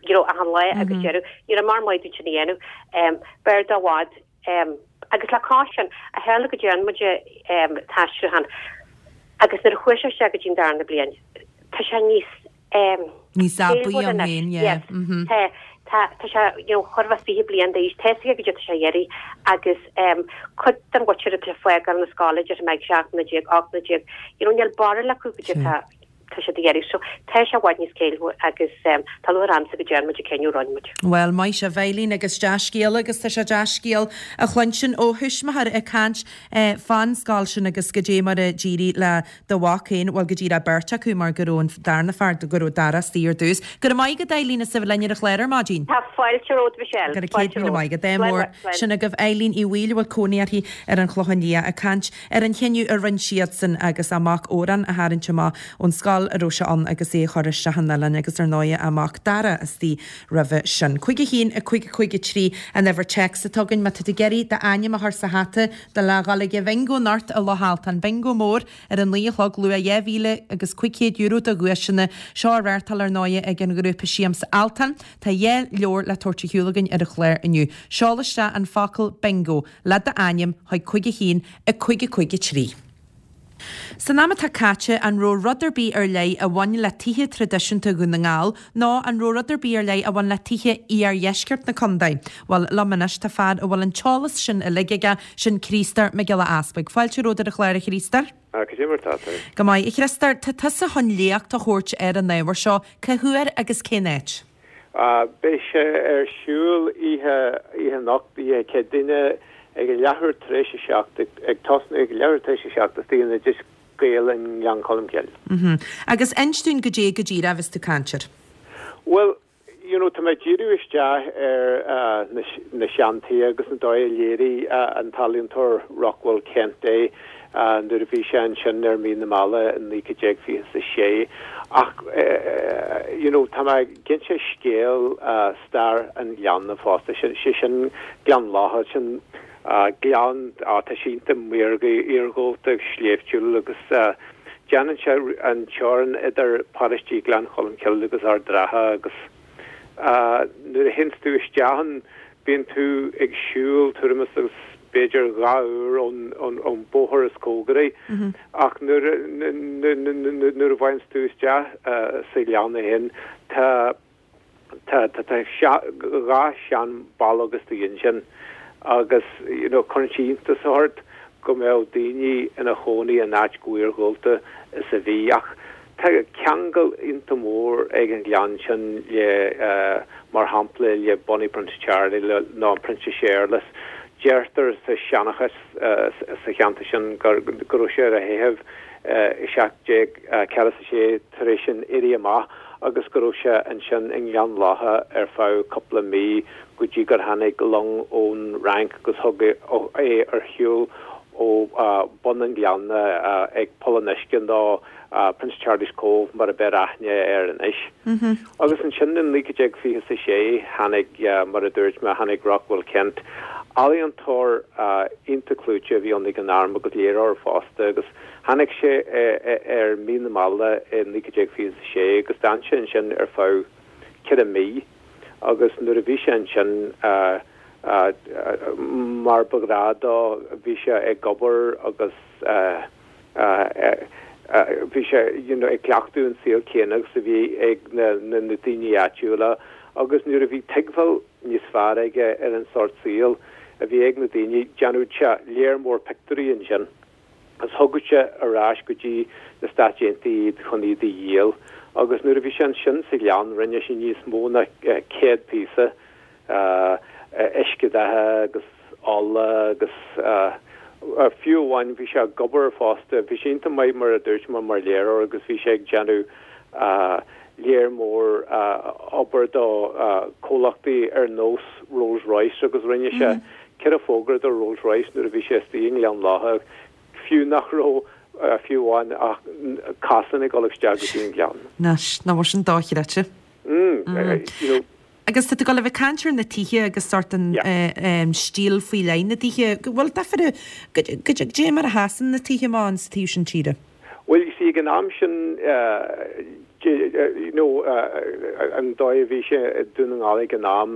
you know achan lá agus deireadh, ní raibh mórán maith dúinn sin a dhéanamh. B'fhearr dó i bhfad Agus le cois sin, a tharla go dtearn muid an t-aistriúchán agus nuair a chuaigh sé isteach go dtí an darna bliain, tá sé níos Níos aibí ann féin, yeah. Yes. Tá, tá, tá sé, you know, chóir a bheith 20 bliain d'aois, tá 'fhios aige goidé atá sé a iarraidh agus cuid den mhuintir atá ag fágáil na scoile, déarfaidh mé ag 17 mbliana, 18 mbliana, you know, níl barúil acu goidé atá. Tá siad ag iarraidh. So, tá sé i bhfad níos céillmhaire agus tá lúcháir ormsa go dtearn muid an cinneadh a rinne muid. Bhuel, maith sibh, a Eileen, agus dea-scéala agus tá sé dea-scéal a chluinstin ó thuismitheoir ag caint fán scoil sin agus goidé mar a d'éirigh le do mhac féin, bhuel, go díreach beirt acu mar go raibh an darna fear, go raibh Dara istigh ar dtús. Go raibh maith agat, Eileen, as a bheith linn ar an chlár ar maidin. Tá fáilte romhat, Michelle. Go raibh 100,000 maith agat. Ádh mór. Sin agaibh Eileen Uí Bhaoill a bhfuil cónaí uirthi ar an Chlochán Liath ag caint ar an chinneadh a rinne siadsan agus a mac Odhrán a tharraingt amach ón scoil a raibh sé ann agus é a chur isteach an oileán agus ar ndóighe a mac Dara istigh roimhe sin. 5 1 5 5 3 an uimhir téacs atá againn má tá tú ag iarraidh d'ainm a chur sa hata do le dhul ag an bhingo anocht i Loch Altan. Bingo mór ar a 9 a chlog luach €2,500 de dhuaiseanna. Seo á reáchtáil ar ndóighe ag an ghrúpa Siamsa Altan. Tá 2 leabhar le tabhairt ar shiúl againn ar an chlár inniu. Seol isteach an focal bingo le d'ainm chuig 5 1 5 5 3. San am atá caite, an raibh rud ar bith ar leith a bhain le tithe traidisiúnta Dhún na nGall nó an raibh rud ar bith ar leith a bhain le tithe iardheisceart na contae? Bhuel, liom anois tá fear a bhfuil an t-eolas sin uilig aige, sin Criostóir Mac Giolla Easpaig. Fáilte romhat ar an chlár, a Chriostóir. Ah, cad é mar tá tú? Go maith, a Chriostóir. Tá tusa chun léacht a thabhairt ar an ábhar seo. Cá huair agus cén áit? Beidh sé ar siúl oíche oíche anocht, oíche Céadaoine, ag a leathuair tar éis a 7, ag tosnú ag a leathuair tar éis a 7 istigh in Oideas Gael i nGleann Cholm Cille. Agus inis dúinn goidé go díreach a bheas tú ag caint air. Bhuel, you know, tá mé ag díriú isteach ar na na seantithe agus an dóigh a léirigh an t-ealaíontóir Rockwell Kent é nuair a bhí sé ansin ar Mhí na Meala in 1926. Ach you know tá mé ag inse scéal stair an ghleanna fosta, sé sin Gleann Locha, sin gleann, á tá sé iontach maorga, iargúlta agus sléibhtiúil agus déanann sé an teorainn idir paróistí Ghleann Cholm Cille agus Ard Ratha agus Nuair a théanns tú isteach ann, bíonn tú ag siúl tuairim is agus b'fhéidir 2 uair ón bóthar is cóngaraí. Ach nuair a bhfaigheanns tú isteach sa ghleann é féin, tá tá tá 2 sean-bhallóg istigh ansin agus you know cuireann sé iontas ort go mbeadh daoine ina chónaí in áit chomh iargúlta is a bhí. Ach Tá ceangal iontach mór ag an ghleann sin le, mar shampla, le Bonnie Prince Charlie nó an Prionsa Séarlas. Deirtear sa seanchas sa cheantar sin go raibh sé ar a theitheadh i 1746 tar éis an Éirí Amach agus go raibh sé ansin i nGleann Locha ar feadh cúpla mí go dtí gur tháinig long ón Fhrainc agus thug é ar shiúl ó bun an ghleanna ag Poll an Uisce nó Prince Charlie's Cove mar a bheir aithne air anois. Agus ansin in 1926 tháinig, mar a dúirt mé, tháinig Rockwell Kent, ealaíontóir iontach clúiteach a bhí ann ag an am agus léiritheoir fosta agus tháinig sé ar Mhí na Meala i 1926 agus d'fhan sé ansin ar feadh ceithre mí agus nuair a bhí sé ansin mar ba ghnáth dó bhí sé ag obair agus Bhí sé you know ag cleachtadh an saol céanna agus a bhí ag na na daoine áitiúla agus nuair a bhí tuigbheáil níos fearr aige ar an sórt saoil a bhí ag na daoine déanadh sé léar mór pictiúirí ansin agus thugadh sé ar ais go dtí na Stáit Aontaithe iad chun iad a dhíol agus nuair a bhí sé ansin sa ghleann rinne sé níos mó ná 100 píosa uiscedhatha agus ola agus fiú amháin bhí sé ag obair fosta, bhí sé iontach maith mar a dúirt mé mar léiritheoir agus bhí sé ag déanamh léar mór obair do comhlachtaí ar nós Rolls Royce agus rinne sé ceithre fógra do Rolls Royce nuair a bhí sé istigh i nGleann Locha, fiú nach raibh fiú amháin ach cosán ag dul isteach go dtí an gleann. Anois, nach bhfuil sin dochreidte? Agus tá tú ag dul a bheith ag caint ar na tithe agus sórt an stíl faoi leith na dtithe. Bhfuil difear, goidé mar a sheasann na tithe amach ins an taobh sin tíre? Bhuel, you see, ag an am sin, you know, an dóigh a bhí sé i Dún na nGall ag an am,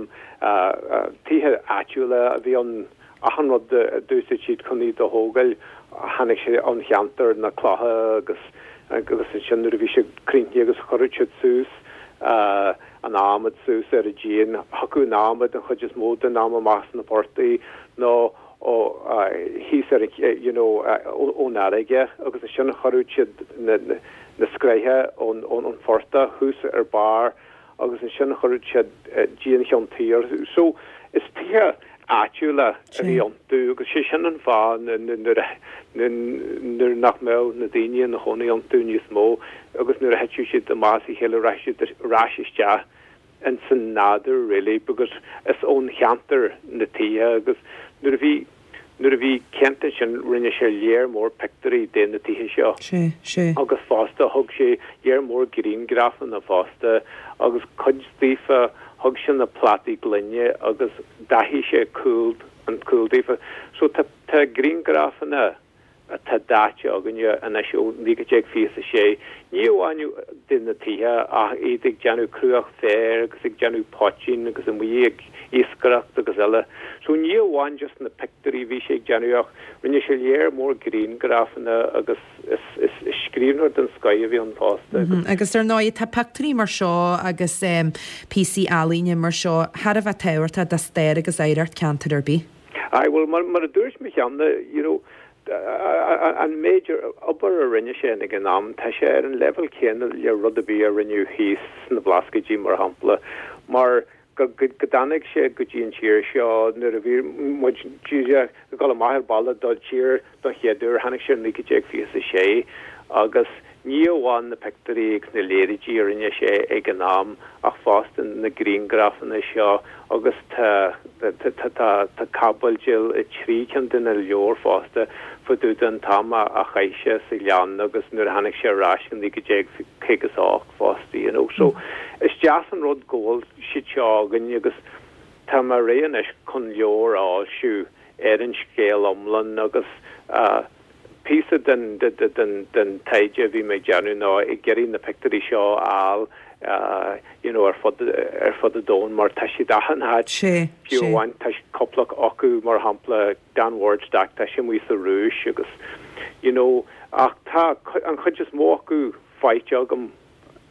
tithe áitiúla a bhí ann, achan rud a d'úsáid siad chun iad a thógáil, tháinig sé ón cheantar, na clocha agus agus ansin nuair a bhí siad críochnaithe agus chuireadh siad suas an adhmad suas ar an díon, thiocfadh an adhmad an chuid is mó den am amach sna portaigh nó. ó thíos ar you know ón fharraige agus ansin chuireadh siad na na scraithe ón ón phortach thuas ar barr agus ansin chuireadh siad díon cheann tuí orthu. So is tithe áitiúla a bhí iontu agus sé sin an fáth nuair a nuair nach mbeadh na daoine ina chónaí iontu níos mó agus nuair a thiteadh siad amach as a chéile rachadh siad ar ais isteach ins an nádúr really because is ón cheantar na tithe agus nuair a bhí nuair a bhí Kent ansin rinne sé léar mór pictiúirí de na tithe seo Sé, sé. agus fosta thug sé léar mór griangrafanna fosta agus cuid daofa thug sé na plátaí gloine agus dathaigh sé cúl an cúl daofa so tá tá griangrafanna atá daite againne anois ó 1926, ní amháin de na tithe ach iad ag déanamh cruach féir agus ag déanamh poitín agus amuigh ag iascaireacht agus eile. So ní amháin just na pictiúirí a bhí sé ag déanamh ach rinne sé léar mór griangrafanna agus is scríbhneoir den scoith a bhí ann fosta agus. Agus ar ndóigh tá pictiúirí mar seo agus píosaí ealaíne mar seo thar a bheith tábhachtach do stair agus oidhreacht ceantair ar bith. Aye, bhuel, mar a dúirt mé cheana, you know, an méid obair a rinne sé ag an am, tá sé ar an leibhéal céanna le rud ar bith a rinneadh thíos sna Blascaoidí, mar shampla, mar go dtáinig sé go dtí an tír seo nuair a bhí muid díreach ag dul amach ar balla don tír Don chéad uair, tháinig sé in 1926 agus ní amháin na pictiúirí agus na léaraidí a rinne sé ag an am ach fosta na griangrafanna seo agus tá tá caibidil i dtrí cinn de na leabhair fosta fá dtaobh den t-am a chaith sé sa ghleann agus nuair a tháinig sé ar ais in 1958 fosta, you know. So is deas an rud go bhfuil siad seo againn agus tá mé réidh anois chun leabhar a fhoilsiú ar an scéal iomlán agus píosa den den taighde a bhí mé ag déanamh ná ag iarraidh na pictiúirí seo a fháil you know ar fud ar fud an domhain mar tá siad achan áit fiú amháin tá cúpla acu mar shampla Dan Ward's Stack tá sé amuigh sa Rúis agus you know ach tá an chuid is mó acu faighte agam.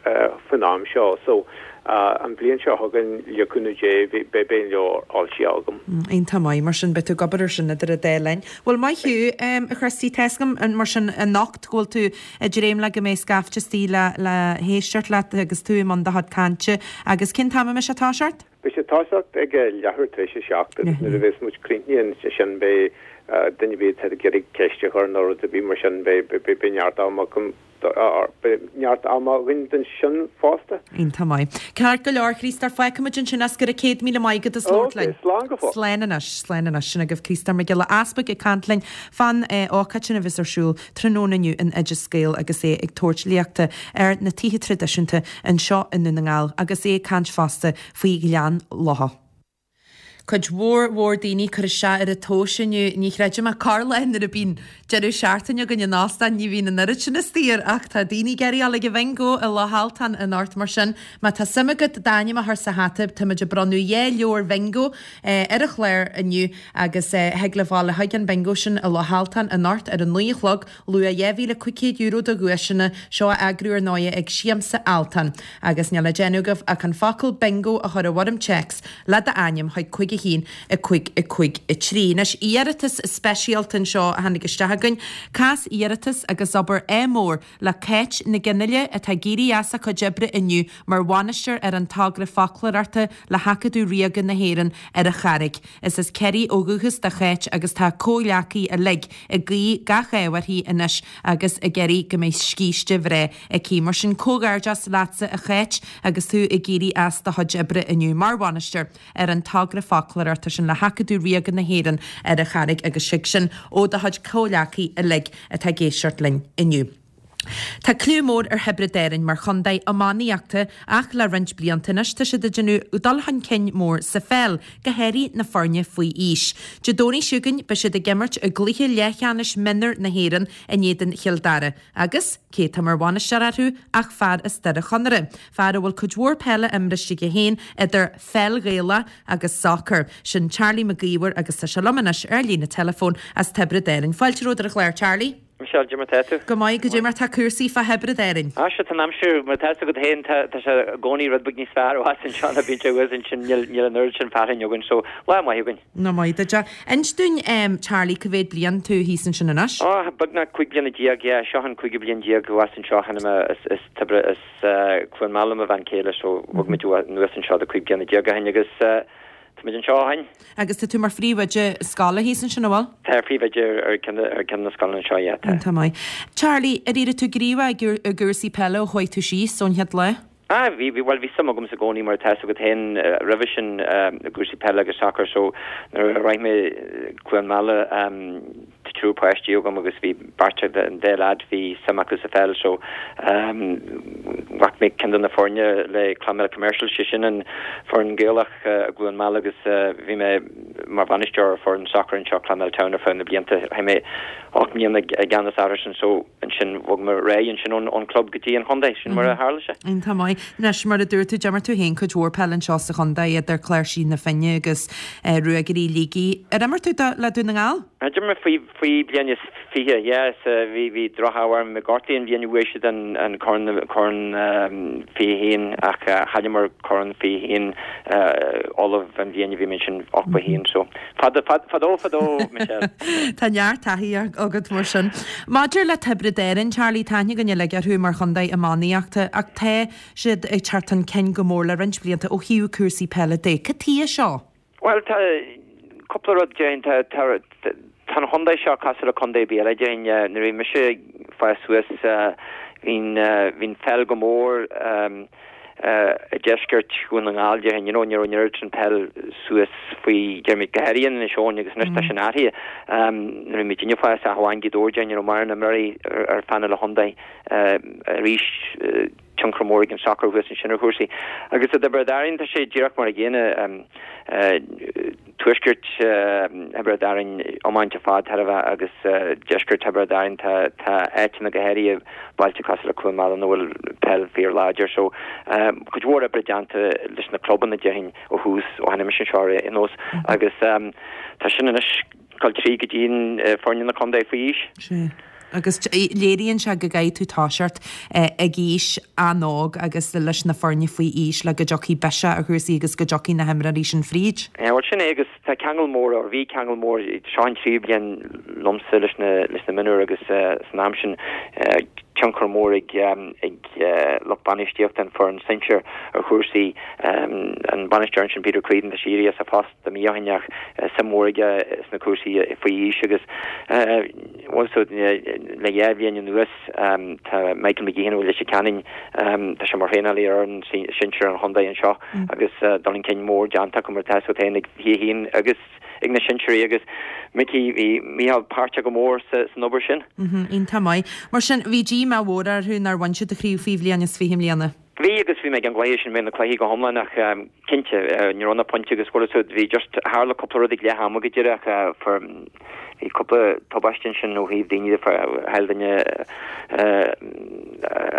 faoin am seo. So, an bhliain seo chugainn, le cúnamh Dé, beidh an leabhar foilsithe agam. Iontach maith, mar sin, beidh tú ag obair ar sin idir an dá linn. Bhuel, maith thú, a Chriosty, tá 'fhios agam, mar sin, anocht go bhfuil tú ag dréim le go mbeidh scaifte istigh le le héisteacht leat agus tú i mbun do chuid cainte. Agus cén t-am a mbeidh sé ag toiseacht? Beidh sé ag toiseacht ag leathuair tar éis a 7 agus nuair a bheas muid críochnaithe ansin beidh duine ar bith atá ag iarraidh ceist a chur nó rud ar bith mar sin beidh neart ama acu Beidh neart ama againn don sin fosta. Iontach maith. Ceart go leor, Chríostóir, fágfaimid ansin as go raibh 100,000 maith agat as labhairt linn. Ok, slán go fóill. Slán anois, slán anois. Sin agaibh Críostóir Mac Giolla Easpaig ag caint linn fán ócáid sin a bheas ar siúl tráthnóna inniu in Oideas Gael agus é ag tabhairt léachta ar na tithe traidisiúnta anseo i nDún na nGall agus é ag caint fosta faoi Ghleann Locha. Cuid mhór mhór daoine ag cur isteach ar an tomhas inniu. Ní chreidim ach corrlá nuair a bíonn deireadh seachtaine againn in óstán ní bhíonn an oiread sin istigh air ach tá daoine ag iarraidh dul ag an bhingo i Loch Altan anocht mar sin má tá suim agat d'ainm a chur sa hata táimid ag bronnadh 2 leabhar bhingo ar an chlár inniu agus thig libh dul chuig an bingo sin i Loch Altan anocht ar a 9 a chlog Luach €2,500 de dhuaiseanna, seo á eagrú ar ndóighe ag Siamsa Altan. Agus níl le déanamh agaibh ach an focal Bingo a chur i bhfoirm téacs le d'ainm chuig 5 1 5 5 3. Anois, iarratas speisialta anseo a tháinig isteach againn. Cás iarratas agus obair ádh mór le Cáit Nic Fhionnghaile atá ag éirí as a cuid oibre inniu mar bhainisteoir ar an togra foclóireachta le hAcadamh Ríoga na hÉireann ar an Charraig. Is as Ciarraí ó dhúchas do Cháit agus tá a comhghleacaithe uilig ag guí gach ádh uirthi anois agus ag iarraidh go mbeidh scíste bhreá aici. Mar sin, comhghairdeas leatsa a Cháit agus tú ag éirí as do chuid oibre inniu mar bhainisteoir ar an togra foclóireachta sin le hAcadamh Ríoga na hÉireann ar an Charraig agus tig sin ó do chuid comhghleacaithe uilig atá ag éisteacht linn inniu. Tá cliú mór ar Thiobraid Árainn mar chontae iománaíochta ach le roinnt blianta anois tá siad ag déanamh dul chun cinn mór sa pheil, go háirithe na foirne faoi aois. Dé Domhnaigh seo chugainn beidh siad ag imirt i gcluiche leathcheannais mionúr na hÉireann in éadan Chill Dara agus cé atá mar bhainisteoir orthu ach fear as Doire Chonaire, fear a bhfuil cuid mhór peile imriste aige féin idir pheil Ghaelach agus sacar. Sin Charlie Mac Íomhair agus tá sé liom anois ar líne teileafóin as Tiobraid Árainn. Fáilte romhat ar an chlár, Charlie. Michelle, Cad é mar tá tú? Go maith, cad é mar tá cúrsaí fá Thiobraid Árainn. Ah, sea, tá an aimsir, mar atá fhios agat féin, tá, tá sé i gcónaí rud beag níos fearr ó theas anseo ná bíonn sé thuas ansin, níl, níl an oiread sin fearthainn againn, so lá maith againn. Nach maith duit é. Inis dúinn, em, Charlie, cá mhéad bliain tú thíos ansin anois? Oh, beagnach 15 bliana, yeah, seo an cúigiú bliain déag thuas anseo, tháinig mé as, as Tiobraid, as, eh, Cluain Meala mo bhean chéile, so bhog muid anuas anseo do 15 bliana ó shin agus, eh, Táimid anseo ó shin. Agus tá tú mar phríomhoide scoile thíos ansin, an bhfuil? Tá, phríomhoide ar ceann ar ceann de na scoileanna anseo, yeah, tá. Iontach maith. Charlie, ar éirigh tú gníomhach i gcúrsaí peile ó chuaigh tú síos ón chéad lá? Ah, bhí, bhí, bhuel, bhí suim agamsa i gcónaí mar atá fhios agat féin roimhe sin i gcúrsaí peile agus sacair so nuair a shroich mé Cluain Meala, Tá triúr páistí agam agus bhí beirt den dá leaid, bhí suim acu sa pheil so ghlac mé ceann de na foirne le Clonmel Commercial, sé sin an foireann Gaelach i gCluain Meala agus bhí mé mar bhainisteoir ar foireann sacair anseo Clonmel Town ar feadh na blianta. Chaith mé 8 mbliana i gceannas orthu sin so ansin bhog mé ar aghaidh ansin ón club go dtí an chontae, sin mar a tharla sé. Iontach maith. Anois mar a dúirt tú, d'imir tú féin cuid mhór peile anseo sa chontae idir Cláirsigh na Finne agus Ruagairí Shligigh. Ar imir tú le Dún na nGall? D'imir mé faoi faoi bliain is 20, yes, bhí bhí droch-ádh orm, bhí mé gortaithe an bhliain a bhuaigh siad an an corn corn 21 ach chailleamar corn 21 Uladh an bhliain a bhí mé ansin 81 so fada fad fadó fadó Michelle. Tá neart taithí agat mar sin. Maidir le Tiobraid Árann, Charlie, tá aithne againn uilig orthu mar chontae iománaíochta ach tá siad ag teacht chun cinn go mór le roinnt blianta ó thaobh cúrsaí peile de. Cad tuige seo? Bhuel, tá cúpla rud, déarfainn. Tá, tá, tá an chontae seo cosúil le contae ar bith eile, déarfainn. Nuair a bhí mise ag fás suas, bhí'n, bhí'n pheil go mór i deisceart Dhún na nGall, déarfainn. You know, ní raibh an oiread sin peil suas faoi, déarfaimid, go háirithe in Inis Eoghain agus anois tá sin athraithe. Nuair a bhí muidinne ag fás, ach amháin Gaoth Dobhair, déarfainn, ní raibh mórán imreoirí ar phainéal an chontae arís. tionchar mór ag an sacar thuas ansin ar chúrsaí. Agus i dTiobraid Árann tá sé díreach mar a gcéanna. Tuaisceart Thiobraid Árann iomáint ar fad thar a bheith agus deisceart Thiobraid Árann tá tá áiteanna go háirithe bailte cosúil le Cluain Meala ina bhfuil peil fíor láidir. So cuid mhór oibre déanta leis na clubanna déarfainn ó thús ó tháinig mise anseo ar aon nós agus tá sin anois dul tríd go dtí foirne na contae faoi aois. Sea. Agus léiríonn sé go gcaithfidh tú toiseacht ag aois an-óg agus leis na foirne faoi aois le go dtiocfaidh biseach ar chúrsaí agus go dtiocfaidh na himreoirí sin fríd. Bhuel sin é agus tá ceangal mór, or bhí ceangal mór, seo an tríú bliain liomsa leis na leis na mionúir agus san am sin tionchar mór ag ag lucht bainistíochta an foireann sinsir ar chúrsaí. An bainisteoir ansin Peter Creedon tá sé éirithe as a phost. do mí ó shin ach suim mhór aige sna cúrsaí faoi aois agus bhuel so le dhá bhliain anuas tá Michael McGeehan ó Leitir Ceanainn, tá sé mar thraenálaí ar fhoireann sinsir an chontae anseo agus dul chun cinn mór déanta acu mar atá fhios agat féin ag 21 agus ag na sinsearaí agus Mickey, bhí Micheál páirteach go mór san obair sin. Iontach maith. Mar sin, bhí díomá mhór orthu nár bhain siad an chraobh faoi bhliain is 20 i mbliana. Bhí agus bhí mé ag an gcluiche sin, bhí mé ag na cluichí go hiomlán ach cinnte, ní raibh na pointí agus chuile shórt, bhí just, tharla cúpla rud ag leath ama go díreach, fuair, bhí cúpla tubaiste ansin ó thaobh daoine de, chaill duine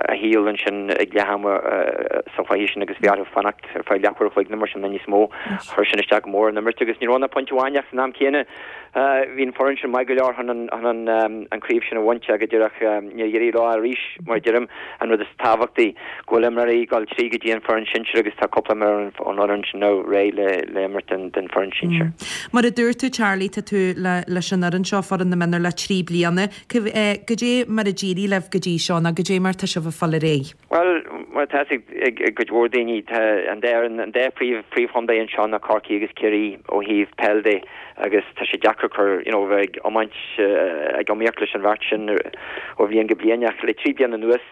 a shaol ansin ag leath ama sa chluiche sin agus bhí orthu fanacht ar feadh leathuair a chloig nó mar sin nó níos mó, chuir sin isteach go mór ar an imirt agus ní raibh ach pointe amháin ach san am céanna Bhí an foireann sin maith go leor chun an craobh sin a bhaint ach go díreach níor éirigh leo arís, mar a deirim, an rud is tábhachtaí, go bhfuil imreoirí ag dul tríd go dtí an foireann sinsir agus tá cúpla imreoir ón fhoireann sin now réidh le imirt don foireann sinsir. Mar a dúirt tú Charlie, tá tú leis an fhoireann seo, foireann na mionúr le 3 bliana. Goidé mar a d'éirigh libh go dtí seo nó goidé mar tá sibh ag fáil ar aghaidh? Bhuel, mar atá fhios ag cuid mhór daoine, tá an dá fhoireann, an dá phríomh, phríomhchontae anseo ná Corcaigh agus Ciarraí ó thaobh peil de agus tá sé deacair cur, you know, bheith ag iomáint, ag iomaíocht leis an bheirt sin ó bhliain go bliain ach le 3 bliana anuas,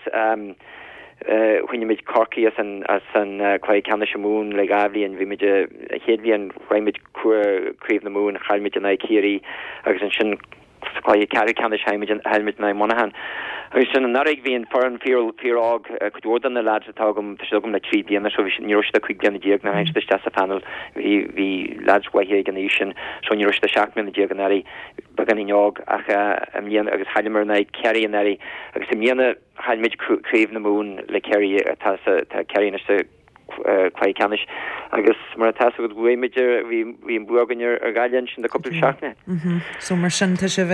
choinnigh muid Corcaigh as an, as an cluiche ceannais i Mumhan le dhá bhliain. Bhí muid, an chéad bhliain, shroich muid craobh na Mumhan, chaill muid in aghaidh Ciarraí agus ansin, Sa chluiche ceathrú ceannais chaill muid in aghaidh Monaghan. Agus sin anuraidh bhí an foireann fíor fíor óg, cuid mhór de na lads atá agam, tá siad agam le 3 bliana so bhí siad, ní raibh siad ach 15 bliana nuair a tháinig siad isteach sa phainéal. Bhí bhí lads mhaithe ag an aois sin so ní raibh siad ach 17 mbliana anuraidh, beagáinín óg ach i mbliana agus chailleamar in aghaidh Ciarraí anuraidh agus i mbliana chaill muid craobh na Mumhan le Ciarraí atá sa tá Ciarraí anois sa. Cluiche Ceannais agus mar atá fhios agat bhuaigh muid ar, bhí, bhí an bua againn ar, ar Ghaillimh ansin le cúpla seachtain. So mar sin tá sibh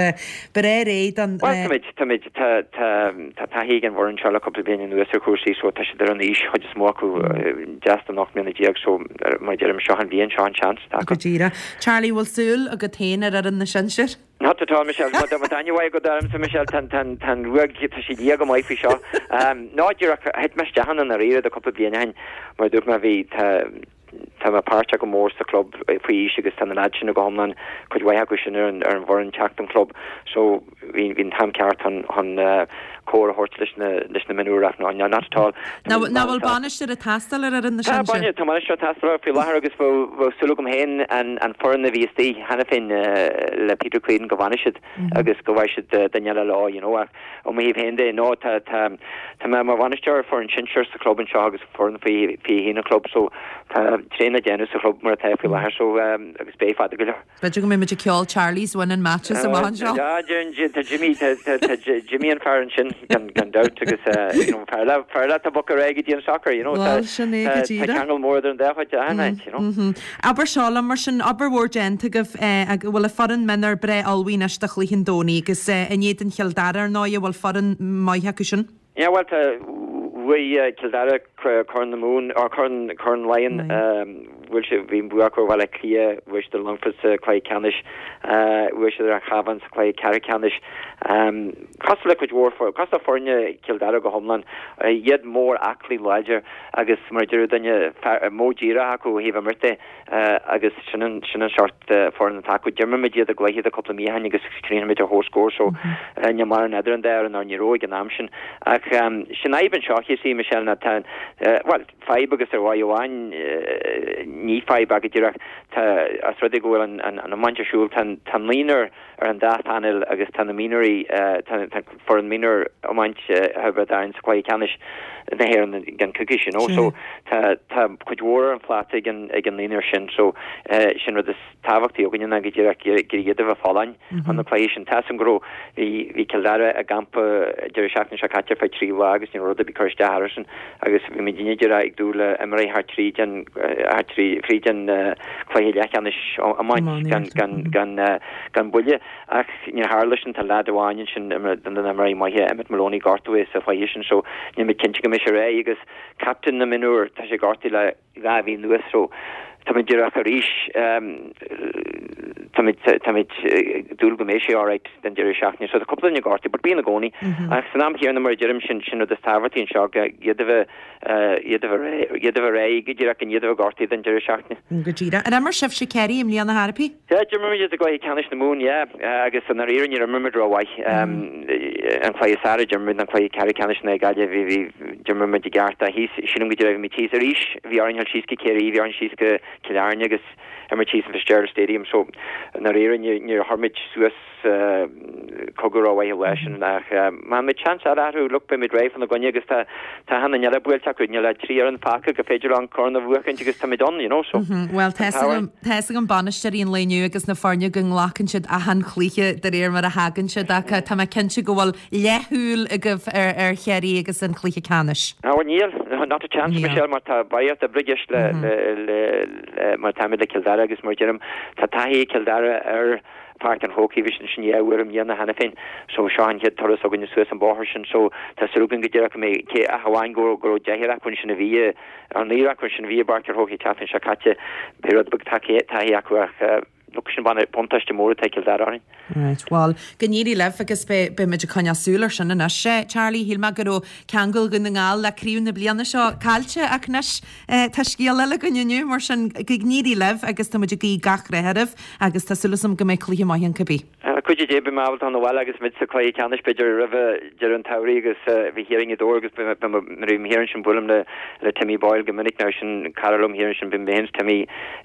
breá réidh don. Bhuel táimid, táimid, tá, tá, tá taithí ag an bhfoireann seo le cúpla bliain anuas ar chúrsaí so tá siad ar an aois, chuid is mó acu deas den 18 mbliana so mar a deirim seo an bhliain, seo an seans atá acu. Go díreach. Charlie, bhfuil súil agat féin ar fhoireann na sinsear? Not at all, Michelle. Má tá aithne mhaith agat ormsa, Michelle, tá an ruaig, tá sí liath go maith faoi seo. Ná díreach, thit mé isteach ann i ndáiríre de cúpla bliain ó shin. Mar a dúirt mé, bhí, tá, tá mé páirteach go mór sa chlub faoi aois agus tá na leaids sin go hiomlán, cuid mhaith acu sin ar an, ar an bhfoireann teacht don chlub. So, bhí, bhí an t-am ceart chun, chun comhair a thabhairt leis na, leis na mionúir ach no, not at all. Ná bhfuil bainisteoir ag teastáil ar fhoireann na Tá, sinsear? tá bainisteoir ag teastáil faoi láthair agus bheadh súil agam féin an foireann a bhí istigh cheana féin le Peter Creedon go bhfanfaidh siad agus go bhfaighidh siad duine eile leo, you know, ach ó mo thaobh féin de, no, tá, tá, tá mé mar bhainisteoir ar foireann sinsear sa chlub anseo agus foireann faoi 21 an chlub so tá tréan le déanamh sa chlub mar atá faoi láthair so agus beidh fada go leor. B'fhéidir go mbeidh muid ag ceol Charlie's winning matches amach anseo. Yeah, tá Jimmy, tá Jimmy an fear ansin gan gan dabht agus you know fear le fear le tá boc ar aghaidh go dtí an soccer, you know tá Bhuel, sin é go tá díreach. ceangal mór idir an dá chuid de achan áit, you know. Abair seo liom mar sin, obair mhór déanta agaibh go bhfuil an foireann mionúr breá ullmhaithe anois do chluiche an Domhnaigh agus in éadan Chill Dara ar ndóigh, bhfuil foireann maith acu sin? Yeah, bhuel, tá, bhuaigh Cill Dara Corn na Mumhan, or Corn, Corn Laighean, bhuail siad, bhí an bua acu ar Bhaile Átha Cliath, bhuaigh siad ar Longfort sa cluiche ceannais, bhuaigh siad ar an Chabhán sa cluiche ceathrú ceannais. Cosúil le cuid mhór, cosúil le foirne Chill Dara go hiomlán, iad mór aclaí láidir agus mar a deir duine, modh díreach acu ó thaobh imirt de. Agus sin an sin an seort foireann atá acu. D'imir muid iad i gcluiche de cúpla mí ó shin agus chríochnaigh muid ar comhscór so níl mórán idir an dá fhoireann nó ní raibh ag an am sin. Ach sin fhadhb anseo you see Michelle ná tá bhuel fadhb agus ar mhaith amháin ní fadhb ach go díreach tá as rud é go bhfuil an an an iomáint ar siúl tá tá naonúr ar an dá phainéal agus tá na mionúirí tá foireann mionúr iomáint Thiobraid Árann sa chluiche ceannais na hÉireann i gceann coicíse, you know. So tá tá cuid mhór ar an phláta ag an ag an naonúr sin so sin rud is tábhachtaí againne ná go díreach gur iad a bheith folláin chun na cluichí sin. Tá 'fhios a'm go raibh bhí bhí Cill Dara i gcampa deireadh seachtaine seo caite ar feadh 3 lá agus ní raibh rud ar bith ag cur isteach orthusan agus bhí muidinne díreach ag dúil le imirt thar tríd an thar trí fríd an cluiche leathcheannais iomáint gan gan gan gan buille. Ach níor tharla sin, tá leaid amháin ansin, duine de na himreoirí maithe, Emmet Maloney, gortaithe sa chluiche sin so níl muid cinnte go mbeidh sé réidh agus captaen na mionúr, tá sé gortaithe le 2 mhí anuas so táimid díreach arís, táimid, táimid ag dúil go mbeidh sé alright don deireadh seachtaine. So tá cúpla duine gortaithe but bíonn i gcónaí. Ach san am chéanna mar a deirim sin, sin rud is tábhachtaí anseo, iad a bheith, iad a bheith, iad a bheith réidh go díreach gan iad a bheith gortaithe don deireadh seachtaine. Go díreach. Ar imir sibhse Ciarraí i mbliana ar bith? Yeah, d'imir muid iad i gcluiche ceannais na Mumhan, yeah, agus i ndáiríre níor imir muid rómhaith. An cluiche is fearr a d'imir muid ná cluiche ceathrú ceannais in aghaidh Gaillimh, bhí, bhí, d'imir muid i gceart ach thíos, sílim go dtí bhí muid thíos arís, bhí orainn dul síos go Ciarraí, bhí orainn síos go Cill Airne agus imirt thíos in Fitzgerald Stadium, so i ndáiríre níor, níor chuir muid suas cogadh rómhaith an lá sin ach má bhíonn seans eile orthu, look, beidh muid réidh fána gcoinne agus tá tá achan duine eile buailte acu, níl ach 3 fhoireann fágtha gur féidir leo an corn a bhuachaint agus táimid ann, you know, so. Bhuel, tá fhios agam bainisteoirí an lae inniu agus na foirne go nglacann siad achan chluiche de réir mar a thagann siad ach tá mé cinnte go bhfuil leathshúil agaibh ar Chiarraí agus an cluiche ceannais. Ah, bhuel níl, not a chance, Michelle, mar tá barraíocht oibre i gceist le, le, le, mar táimid le Cill Dara agus mar a deirim, tá taithí ag Cill Dara ar Páirc an Chrócaigh, bhí siad ansin dhá uair i mbliana cheana féin so seo an chéad turas againne suas an bóthar sin so tá súil againn go díreach go mbeidh, cé ach amháin go raibh, go raibh deichniúr acu ansin a bhí i, nó naonúr acu ansin a bhí i bPáirc an Chrócaigh an tseachtain seo caite, beidh rud beag taithí acu ach look sin buntáiste mór atá ag Cill Dara orainn. Right, bhuel, go n-éirí libh agus beidh, beidh muid ag coinneáil súil ar sin anois. Charlie, shíl mé go raibh ceangal Dhún na nGall le craobh na bliana seo caillte ach anois tá scéal eile againn inniu mar sin go n-éirí libh agus tá muid ag guí gach rath oraibh. Agus tá súil agam go mbeidh cluiche maith ann cibé. Le cuidiú Dé beidh mé ábalta dul abhaile agus muid sa chluiche ceannais b'fhéidir roimhe deireadh an tsamhraidh agus bhí thiar i nGaoth Dobhair agus beidh mé nuair a bhím thiar ansin buailim le le Timmy Boyle go minic now sin cara liom thiar ansin bíonn mé féin is Timmy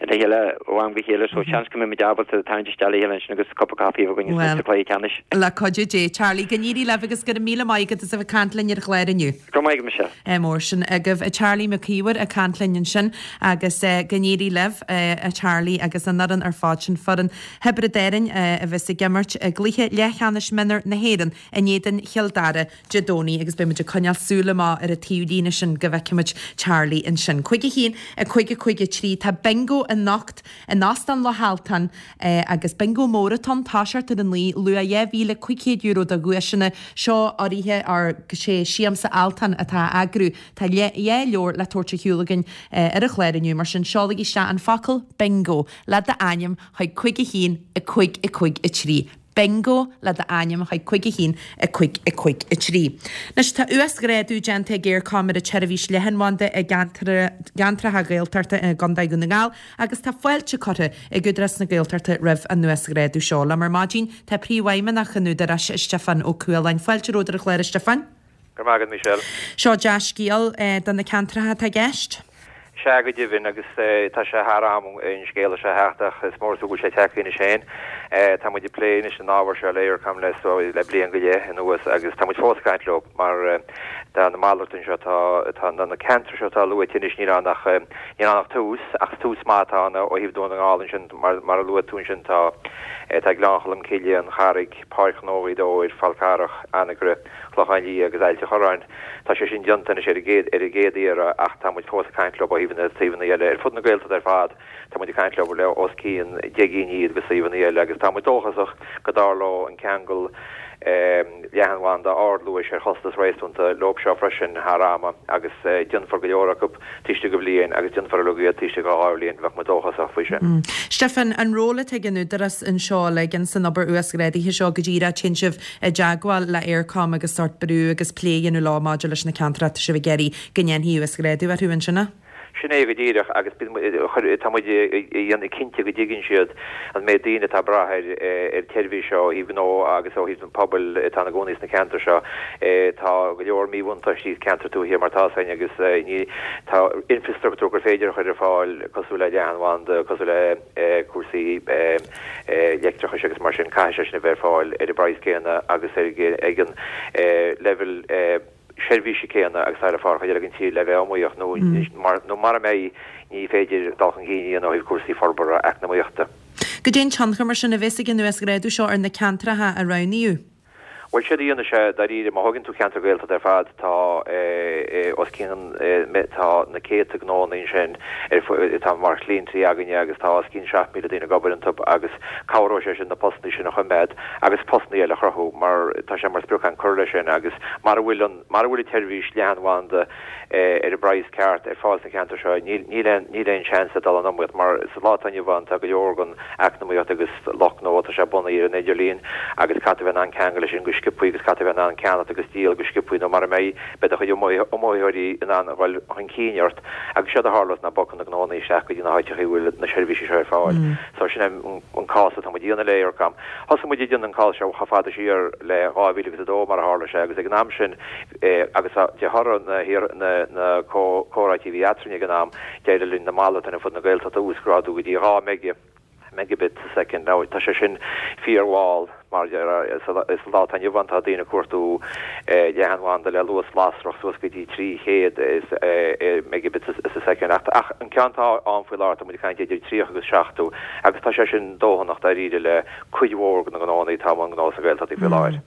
le chéile ó am go chéile so seans go mbeidh muid ábalta tarraingt isteach le chéile ansin agus cupa caife a bheith againn Bhuel, sa chluiche ceannais. le cuidiú Dé. Charlie, go n-éirí libh agus go raibh míle maith agat as a bheith ag caint linn ar an chlár inniu. Go raibh maith agat Michelle. Mór sin agaibh. Charlie Mac Íomhair ag caint linn ansin agus go n-éirí libh a Charlie agus an fhoireann ar fad sin, foireann Thiobraid Árann a bheas ag imirt. imirt i gcluiche leathcheannais mionúr na hÉireann in éadan Chill Dara Dé Domhnaigh agus beidh muid ag coinneáil súil amach ar an taobh líne sin go bhfeicfidh muid Charlie ansin. 5 1 5 5 3 Tá bingo anocht in Óstán Loch Altan agus bingo mór atá ann, toiseacht ar a 9, luach €2,500 de dhuaiseanna. Seo urraithe ar sé Siamsa Altan atá á eagrú. Tá dhá leabhar le tabhairt ar shiúl againn ar an chlár inniu, mar sin seolaigí isteach an focal bingo le d'ainm chuig 5 1 5 5 3. Bingo le d'ainm chuig 5 1 5 5 3. Anois tá uasghrádú déanta ag Eircom ar an tseirbhís leathanbhanda i gceantracha Gaeltachta i gContae Dhún na nGall agus tá fáilte curtha ag Údarás na Gaeltachta roimh an uasghrádú seo. Liom ar maidin tá Príomhfheidhmeannach an Údaráis, Stiofán Ó Cualáin. Fáilte romhat ar an chlár, a Stiofáin. Go raibh maith agat, Michelle. Seo dea-scéal do na ceantracha atá i gceist. Sea, go deimhin, agus tá sé thar am an scéala seo a theacht ach is mór is fiú go bhfuil sé tagtha anois féin. Tá muid ag plé anois an ábhar seo le Eircom le le bliain go leith anuas agus tá muid fós ag caint leo mar tá na malartuithe seo, tá tá na ceantair seo atá luaite anois níl ann ach níl ann ach tús ach tús maith atá ann ó thaobh Dún na nGall ansin mar mar a luaigh tú ansin tá tá Gleann Cholm Cille, An Charraig, Páirc Ghnó Ghaoth Dobhair, Fál Carrach, Anagaire, Clochán Liath agus Ailt an Chorráin. Tá sé sin déanta anois ar an gcéad ar an gcéad iarraidh ach tá muid fós ag caint leo ó thaobh na suíomhanna eile ar fud na Gaeltachta ar fad. Tá muid ag caint leo le os cionn 10 gcinn iad de suíomhanna eile agus tá muid dóchasach go dtarlóidh an ceangal leathanbhanda ardluais ar chostas réasúnta leo seo freisin thar ama agus déanfar go leor acu taobh istigh de bhliain agus déanfar uilig iad taobh istigh de dhá bhliain, bheadh muid dóchasach faoi sin. Stiofán, an ról atá ag an Údarás anseo uilig ins an obair uasghrádaithe seo, go díreach téann sibh i dteagmháil le Eircom agus sórt brú agus plé a dhéanamh leo maidir leis na ceantracha atá sibh ag iarraidh go ndéanfaí uasghrádú orthu, an sin é? Sin é go díreach agus tá muid ag déanamh cinnte go dtuigeann siad an méid daoine atá ag brath ar an tseirbhís seo ó thaobh gnó agus ó thaobh an pobail atá ina gcónaí sna ceantair seo. Tá go leor míbhuntáistí sna ceantair tuaithe mar atá againn agus ní tá infreastruchtúr gur féidir a chur ar fáil cosúil le leathanbhanda, cosúil le cúrsaí leictreachais agus mar sin, caithfidh sé sin a bheith ar fáil ar an bpraghas céanna agus ag an leibhéal seirbhíse céanna agus atá ar fáil chuid eile den tír le bheith iomaíoch nó nó mara mbeidh ní féidir dul chun cinn a dhéanamh ó thaobh cúrsaí forbartha eacnamaíochta. Goidé an tionchar mar sin a bheas ag an uasghrádú seo ar na ceantracha a roghnaíodh? Bhuel, séard a dhéanfaidh sé, dáiríre, má thógann tú ceantar Gaeltachta ar fad, tá os cionn, tá na céadta gnóanna ansin atá mar chliaintí againne agus tá os cionn 7,000 daoine ag obair iontu agus cabhróidh sé sin na postanna sin a choimeád agus postanna eile a chruthú mar tá sé mar sprioc againn cur leis sin agus mara bhfuil an, mara bhfuil an tseirbhís leathanbhanda ar an bpraghas ceart ar fáil sna ceantair seo, níl aon níl aon seans le dul in iomaíocht mar sa lá atá inniu ann tá go leor den eacnamaíocht agus lucht gnó tá sé bunaithe ar an idirlíon agus caithfidh tú a bheith in ann ceangal leis sin go sciobthaí agus caithfidh tú a bheith in ann ceannacht agus díol go sciobthaí nó mara mbeidh beidh do chuid iomaitheoirí in ann a dhul chun cinn ort agus séard a tharlós ná bogfaidh na gnóanna isteach go dtí na háiteacha a bhfuil na seirbhísí seo ar fáil. So sin é an cás atá muid a dhéanamh le Eircom. Thosaigh muid ag déanamh an cás seo chomh fada siar le 2002 mar a tharla sé agus ag an am sin agus de thoradh na comhráití a bhí eadrainn ag an am, d'éirigh linn na malartuithe ar fud na Gaeltachta a uasghrádú go dtí 2 mega, megabit sa soicind. Now, tá sé sin fíormhall, mar sa lá atá inniu ann tá daoine ag cuartú leathanbhanda le luas lasrach suas go dtí 300 megabit sa soicind. Ach an ceann atá ann faoi láthair, tá muid ag caint idir 30 agus 70 agus tá sé sin dóthanach dáiríre le cuid mhór de na gnóanna atá i mbun gnó sna Gaeltachtaí faoi láthair.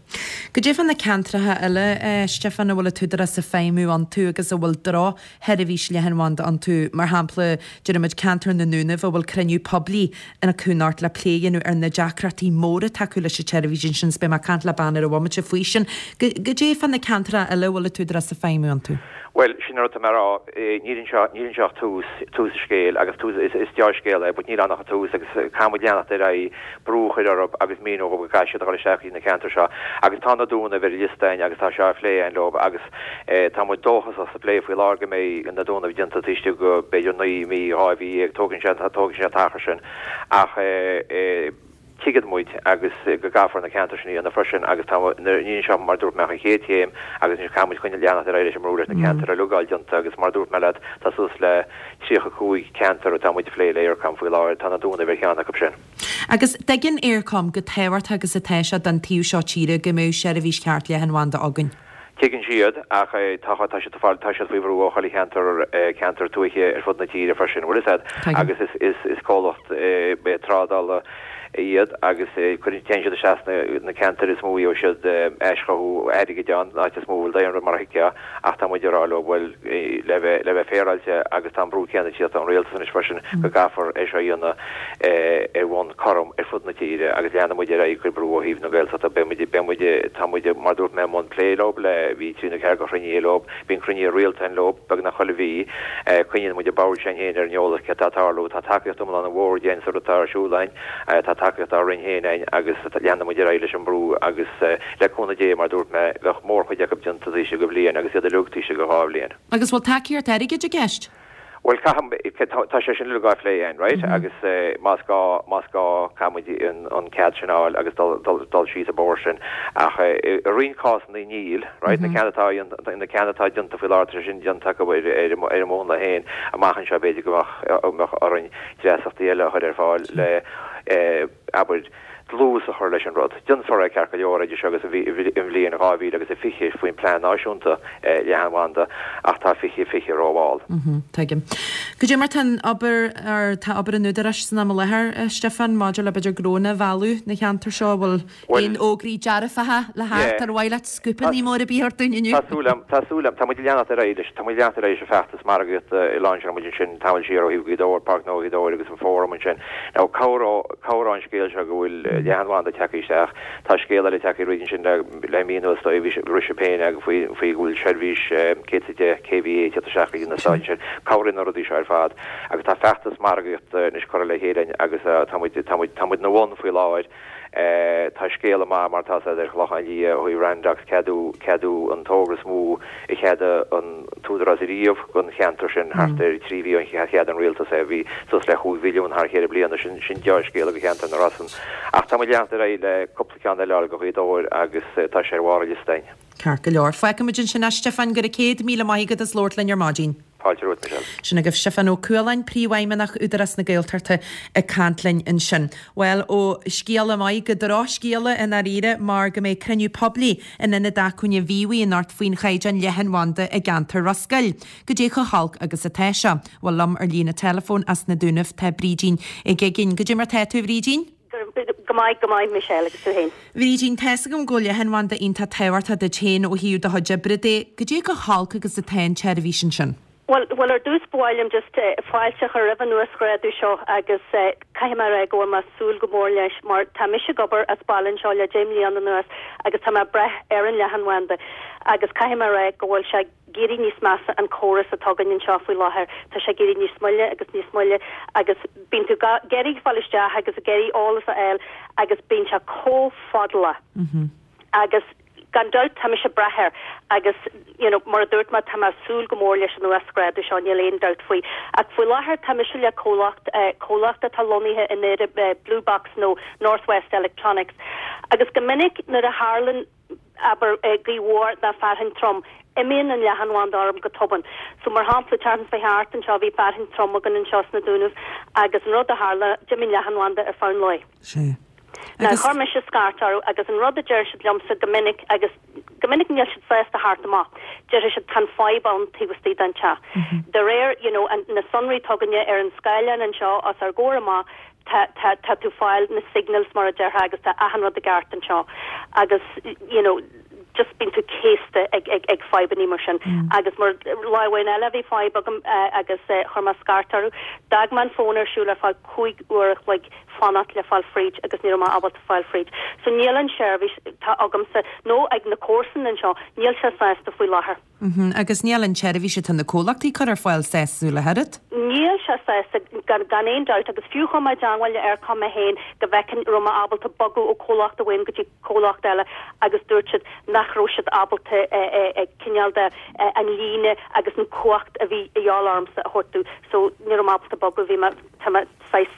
Goidé fá na ceantracha eile, a Stiofáin, a bhfuil an tÚdarás ag feidhmiú iontu agus a bhfuil drochsheirbhís leathanbhanda iontu, mar shampla, déarfaimid ceantar na nDúnaibh a bhfuil cruinniú poiblí acu anocht le plé a dhéanamh ar na deacrachtaí móra atá acu leis an tseirbhís ansin, is beidh mé ag caint le bean ar an bhomaite faoi sin. Goidé fá na ceantracha eile a bhfuil an tÚdarás ag feidhmiú iontu? Bhuel, sin an rud atá mé a rá, níl anseo, níl anseo ach tús, tús an scéil agus tús, is, is deá-scéal é but níl ann ach an tús agus caithfidh muid leanacht ar aghaidh, brú a chur orthu agus míniú dhóibh go gcaithfidh siad a dhul isteach go dtí na ceantair seo agus tá na Dúnaibh ar an liosta againn agus tá sé á phlé againn leo agus tá muid dóchasach sa bplé faoi láthair go mbeidh na Dúnaibh déanta taobh istigh de b'fhéidir 9 mí, 2 mhí dhéag, tógann sé, tógann sé an t-achar sin ach eh. Tuigeann muid agus go gcaithfear na ceantair sin a dhéanamh freisin agus tá níl anseo mar a dúirt mé ach an chéad chéim agus anois caithfidh muid coinneáil leanacht ar aghaidh leis an mbrú leis na ceantair uilig a fháil déanta agus mar a dúirt mé leat tá suas le 35 ceantar atá muid ag plé le Eircom faoi láthair, tá na Dúnaibh ar cheann acu sin. Agus tuigeann Eircom chomh tábhachtach agus atá sé don taobh seo tíre go mbeadh seirbhís cheart leathanbhanda againn. Tuigeann siad, ach tá tá siad tá siad faoi bhrú ó chuile cheantar ceantar tuaithe ar fud na tíre freisin, bhfuil fhios a'd, agus is is is comhlacht trádála. Iad agus cuireann, téann siad isteach sna na ceantair is mó a gheobhaidh siad aischothú airgid ann, an áit is mó a bhfuil daonra mar a thuigfeá, ach tá muid ag rá leo, bhuel, le bheith, le bheith féaráilte agus tá an brú céanna ag tíocht ón rialtas anois freisin go gcaithfear é seo a dhéanamh ar bhonn cothrom ar fud na tíre agus leanfaidh muid ar aghaidh ag cur brú ó thaobh na Gaeltachta. Beidh muid, beidh muid, tá muid, mar a dúirt mé, i mbun plé leo le, bhí trí nó ceathair de chruinnithe leo, Bíonn cruinnithe rialta againn leo, beagnach chuile mhí. Coinníonn muid an bord sin féin ar an eolas céard atá ag tarlú. Tá tacaíocht iomlán an bhoird againn sa rud atá ar siúl againn. Tá tacaíocht ár Roinn féin againn agus leanfaidh muid ar aghaidh leis an mbrú agus le cúnamh Dé, mar a dúirt mé, bheadh mórchuid acu déanta taobh istigh de bhliain agus iad uilig taobh istigh de dhá bhliain. Agus bhfuil tacaíocht airgid i gceist? Bhuel, caithfidh, tá sé sin uilig á phlé againn, right? Agus más gá, más gá, caithfidh muid an cead sin a fháil agus dul, dul, dul síos an bóthar sin. Ach i roinnt cásanna níl, right? Na ceanna atá, na ceanna atá déanta faoi láthair, tá sé sin déanta acu ar, ar, ar an múnla féin. Amach anseo b'fhéidir go mbeadh, mbeadh orainn dreasachtaí eile a chur ar fáil le, abair, dlús a chur leis an rud. Déanfar é ceart go leor idir seo agus an bhliain 2000 agus a 20 faoin bPlean Náisiúnta Leathanbhanda ach tá 2020 rómhall. Tuigim. Goidé mar tá an obair, ar tá obair an Údaráis san am i láthair, a Stiofáin, maidir le b'fhéidir gnónna a mhealladh na cheantair seo, an bhfuil aon fhógraí dearfacha le theacht ar mhaith leat scúpanna mór ar bith a thabhairt dúinn inniu? Tá súil agam, tá súil agam. Tá muid ag leanacht ar aghaidh leis, tá muid ag leanacht ar aghaidh leis an bhfeachtas margaíochta a lainseáil muid ansin tamall siar ó thaobh Ghaoth Dobhair, Páirc Ghnó Ghaoth Dobhair agus an Fóram ansin. Now, cabhróidh an scéal seo go bhfuil leathanbhanda tagtha isteach. Tá scéal eile tagtha fríd ansin le mí anuas, bhí sé féin ag faoi faoi go bhfuil seirbhís 110 kVA ag teacht isteach go dtí na stáit ansin. Cabhraíonn na rudaí seo ar fad. Agus tá feachtas margaíochta anois curtha le chéile againn agus tá muid, tá muid, tá muid ina bhun faoi láthair. Tá scéala maith mar atá ar an Chlochán Liath ó thaobh Randox ceadú, ceadú an togra is mó a cheadaigh an tÚdarás ariamh don cheantar sin thart ar thrí mhí ó cheadaigh an Rialtas é. Bhí suas le chúig bhilliún thar cheithre bliana. Sin, sin deá-scéala do cheantar na Rosann. Ach tá muid ag leanacht ar aghaidh le cúpla ceann eile a fháil do Ghaoth Dobhair agus tá sé ar bharr an liosta againn. Ceart go leor. Fágfaimid ansin é, a Stiofáin, go raibh 100,000 maith agat as labhairt linn ar maidin. Fáilte romhat, Michelle. Sin agaibh Stiofán Ó Cualáin, Príomhfheidhmeannach Údarás na Gaeltachta ag caint linn ansin. Bhuel, ó scéala maith go drochscéala i ndáiríre mar go mbeidh cruinniú poiblí in Ionad Acmhainne Mhíobhaigh anocht faoin chaighdeán leathanbhanda i gceantar Ros Goill. Goidé chomh holc agus atá seo? Bhuel, liom ar líne teileafóin as na Dúnaibh tá Brídín Uí Uiginn. Goidé mar tá tú, a Bhrídín? Go maith, go maith, Michelle, agus tú fhéin? Bhrídín, tá's agam go bhfuil leathanbhanda iontach tábhachtach duit féin ó thaobh do chuid oibre de. Goidé chomh holc agus atá an tseirbhís ansin? Bhuel, bhuel, ar dtús ba mhaith liom just fáilte a chur roimh an uasghrádú seo agus caithfidh mé a rá go bhfuil mé ag súil go mór leis mar tá mise ag obair as baile anseo le deich mbliana anuas agus tá mé ag brath ar an leathanbhanda agus caithfidh mé a rá go bhfuil sé ag éirí níos measa an córas atá againn anseo faoi láthair. Tá sé ag éirí níos moille agus níos moille agus bíonn tú ag iarraidh fáil isteach agus ag iarraidh eolas a fháil agus bíonn sé chomh fadálach agus gan dabht tá mise ag brath air agus you know mar a dúirt mé tá mé ag súil go mór leis an uasghrádú seo níl aon dabht faoi. Ach faoi láthair tá mise le comhlacht, comhlacht atá lonnaithe i nDoire, Blue Box nó North West Electronics agus go minic nuair a tharlann abair, gaoth mhór ná fearthainn trom, imíonn an leathanbhanda orm go tobann. So, mar shampla, tseachtain seo chuaigh thart anseo, bhí fearthainn trom againn anseo sna Dúnaibh agus an rud a tharla, d'imigh an leathanbhanda ar feadh an lae. Sea. Now, chuir mise scairt orthu agus an rud a deir siad liomsa go minic, agus go minic níl siad sásta theacht amach, déarfaidh siad tá an fadhb ann taobh istigh den teach. De réir, you know, an, na sonraí atá againne ar an scáileán anseo os ár gcomhair amach, tá, tá, tá tú fáil na signals mar a déarfá agus tá achan rud i gceart anseo agus you know just bíonn tú céasta ag, ag, ag fadhbannaí mar sin. Agus mar, lá amháin eile bhí fadhb agam agus chuir mé scairt orthu. D'fhág mé an fón ar siúl ar feadh 5 uair a chloig fanacht le fáil fríd agus ní raibh mé ábalta fáil fríd. So níl an seirbhís atá agamsa nó ag na comharsain anseo, níl sé sásta faoi láthair. Agus níl an tseirbhís atá na comhlachtaí ag cur ar fáil sásúil ach oiread. Níl sé sásta, gan aon dabht, agus fiú chuir mé i dteangmháil le Eircom mé féin go bhfeicfinn raibh mé ábalta bogadh ó chomhlacht amháin go dtí comhlacht eile agus dúirt siad nach raibh siad ábalta cineál de an líne agus an cumhacht a bhí a dhíobháil ormsa a thabhairt domh so ní raibh mé ábalta bogadh, bhí mé, tá mé saghas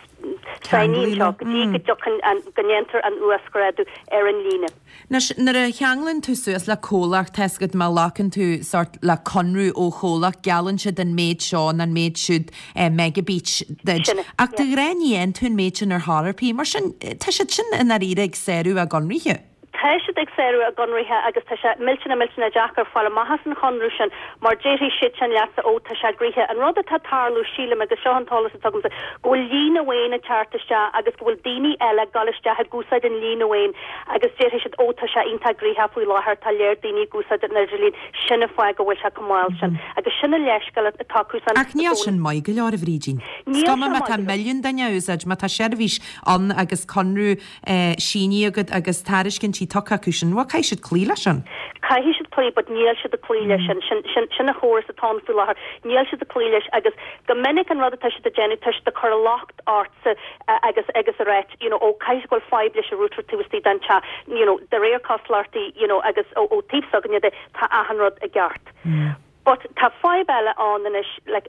sáinnithe anseo go dtí go dtiocfainn an, go ndéantar an uasghrádú ar an líne. Anois, nuair a cheanglann tú suas le comhlacht, tá's agat, má ghlacann tú sórt le conradh ó chomhlacht, geallann siad an méid seo nó an méid siúd megabeats duit. Sin é, Ach de yeah. ghnáth ní fhaigheann tú an méid sin ar chor ar bith. Mar sin, tá siad sin i ndáiríre ag sárú a gconraithe. tá siad ag sárú a gconraithe agus tá sé millteanach millteanach deacair fáil amach as an chonradh sin mar déarfaidh siadsan leatsa ó tá sé gnoitheach. An rud atá ag tarlú, sílim, agus seo an t-eolas atá agamsa, go bhfuil líne amháin ag teacht isteach agus go bhfuil daoine eile ag dul isteach ag úsáid an líne amháin agus déarfaidh siad ó tá sé iontach gnoitheach faoi láthair, tá léir daoine ag úsáid an idirlíon, sin an fáth go bhfuil sé chomh mall sin. Agus sin an leithscéal atá acusan Ach níl sin maith go leor, a Bhrídín. Níl Is cuma sé má maith tá go leor. milliún duine á úsáid, má tá seirbhís ann agus conradh sínithe agat agus tairiscintí tugtha acu sin, bhuel, caithfidh siad cloí leis sin. Caithfidh siad cloí, but níl siad ag cloí leis sin. Sin, sin, sin an chóras atá ann faoi láthair. Níl siad ag cloí leis agus go minic an rud atá siad ag déanamh, tá siad ag cur an locht ortsa agus, agus ag ráit, you know, ó, caithfidh go bhfuil fadhb leis an router taobh istigh den teach, you know, de réir cosúlachtaí, you know, agus ó, ó taobh s'againne de, tá achan rud i gceart. But tá fadhb eile ann anois, like,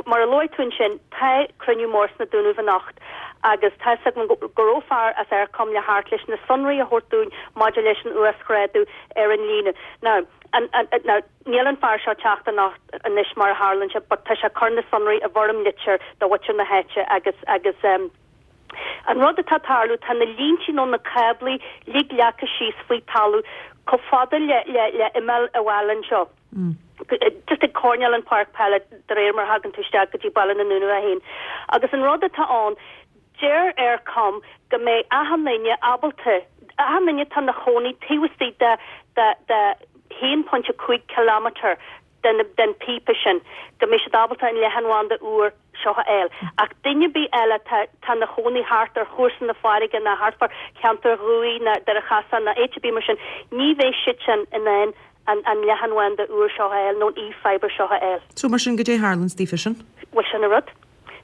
mar a luaigh tú ansin, tá cruinniú mór sna Dúnaibh anocht agus tá 'fhios agam go raibh fear as Eircom le theacht leis na sonraí a thabhairt dúinn maidir leis an uasghrádú ar an líne. Now, an, an, now, níl an fear seo ag teacht anocht anois mar a tharlaíonn sé, but tá sé ag cur na sonraí i bhfoirm litir do mhuintir na háite agus, agus, em, An rud atá ag tarlú, tá na líntí nó na cáblaí uilig leagtha síos faoi talamh chomh fada le, le, le imeall an bhaile anseo. Just ag coirnéal an páirc peile de réir mar a thagann tú isteach go dtí Baile na nDúnaibh é féin. Agus an rud atá ann, deir Eircom go mbeidh achan duine ábalta, achan duine atá ina chónaí taobh istigh de, de, de 1.5 kilometre den, den píopa sin, go mbeidh siad ábalta an leathanbhanda úr seo a fháil. Ach duine ar bith eile atá tá ina chónaí thart ar chúrsa na farraige ná thart fá cheantar Dhumhaí ná Doire Chasáin ná áit ar bith mar sin, ní bheidh siadsan in ann an an leathanbhanda úr seo a fháil nó an e-fibre seo a fháil. So mar sin, goidé a tharlaíonns daofa sin? Bhuel, sin an rud.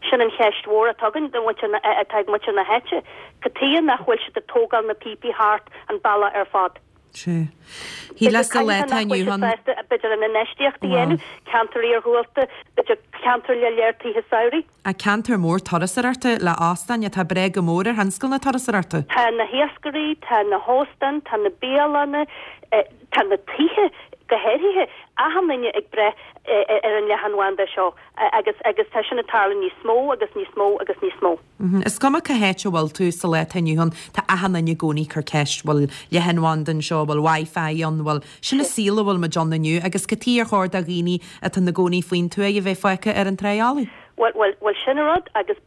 Sin an cheist mhór atá againn do mhuintir na, atá ag muintir na háite. Cad tuighe nach bhfuil siad ag tógáil na píopaí thart an bealach ar fad? Sea. Shíleas sa lá atá inniu ann. B'fhéidir an infheistíocht a dhéanamh, ceantar iarghúlta, b'fhéidir ceantar le léir tithe samhraidh. A ceantar mór turasóireachta le óstáin atá ag breith go mór ar thionscal na turasóireachta. Tá na hiascairí, tá na hóstáin, tá na bialanna, tá na tithe go háirithe, achan duine ag breith ar an leathanbhanda seo agus agus tá sin ag tarlú níos mó agus níos mó agus níos mó. Is cuma cá háit a bhfuil tú sa lá atá inniu ann, tá achan duine i gcónaí ag cur ceist, bhfuil leathanbhanda anseo, bhfuil Wi-Fi ann, bhfuil. Sin an saol a bhfuil muid ann inniu agus cad tuighe ar chóir do dhaoine atá ina gcónaí faoin tuath a bheith fágtha ar an tráigh fholamh? Bhuel, bhuel, bhuel sin an rud agus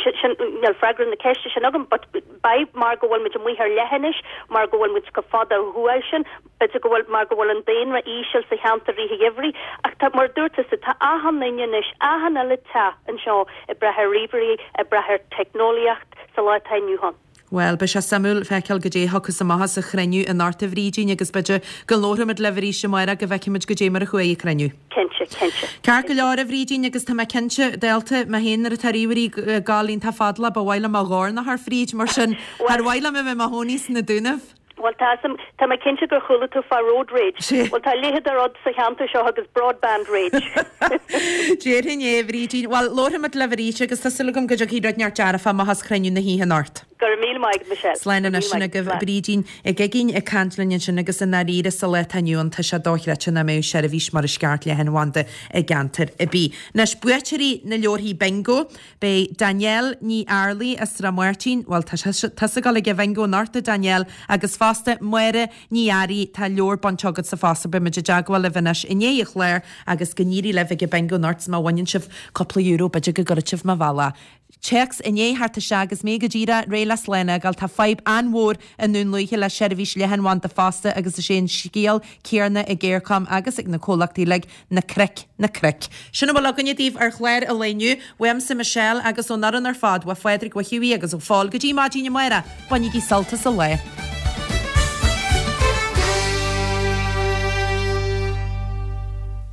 sin, sin, níl freagra na ceiste sin agam but b'fhéidir mar go bhfuil muid amuigh ar leithinis, mar go bhfuil muid chomh fada ó thuaidh sin, B'fhéidir go bhfuil, mar go bhfuil an daonra íseal sa cheantar i rith an gheimhridh. Ach tá, mar a dúirt tusa, tá achan duine anois, achan uile teach anseo ag brath ar ríomhairí, ag brath ar teicneolaíocht sa lá atá inniu ann. Bhuel, beidh sé suimiúil feiceáil goidé a thiocfas amach as an chruinniú anocht a Bhrídín agus b'fhéidir go labharfaimid libh arís amárach go bhfeicfimid goidé mar a chuaigh an cruinniú. Cinnte, cinnte. Ceart go leor a Bhrídín agus tá mé cinnte, dálta mé féin nuair atá ríomhairí ag gabháil iontach fadalach ba mhaith liom mo dhorn a chur fríd mar sin char mhaith liom a bheith i mo chónaí sna Dúnaibh. Bhuel, tá 'fhios a'm, tá mé cinnte gur chuala tú fá road rage. Bhuel, tá a leithéid de rud sa cheantar seo agus broadband rage. Déarfainn é, a Bhrídín. Bhuel, labharfaimid libh arís agus tá súil agam go dtiocfaidh rud inteacht dearfach amach as cruinniú na hoíche anocht. Go raibh míle maith agat, Michelle. Slán anois sin agaibh. Brídín Uí Uiginn ag caint linn ansin agus i ndáiríre sa lá atá inniu ann tá sé dochreidte nach mbeadh seirbhís mar is ceart leathanbhanda i gceantar ar bith. Anois, buaiteoirí na leabharthaí bingo. Beidh Danielle Ní Fhearlaigh as Srath Máirtín, bhuel tá tusa ag dul ag an bhingo anocht a Danielle, agus fosta Máire Ní Fhearraigh, tá leabhar bainte agatsa fosta, beidh muid i dteagmháil libh anois i ndiaidh an chláir agus go n-éirí libh ag an bingo anocht 's má bhaineann sibh cúpla euro b'fhéidir go gcuirfidh sibh mo bhealach téacs i ndiaidh theacht isteach agus mé go díreach réidh le slán a fhágáil. Tá fadhb an-mhór i nDún Lúiche le seirbhís leathanbhanda fosta agus is é an scéal céanna ag Eircom agus ag na comhlachtaí uilig. Na cnoic, na cnoic. Sin a bhfuil againne daoibh ar chlár an lae inniu. Uaimse Michelle agus ón fhoireann ar fad, ó Phádraig, ó Hughie agus ó Phól go dtí maidin amárach, bainigí sult as an lá.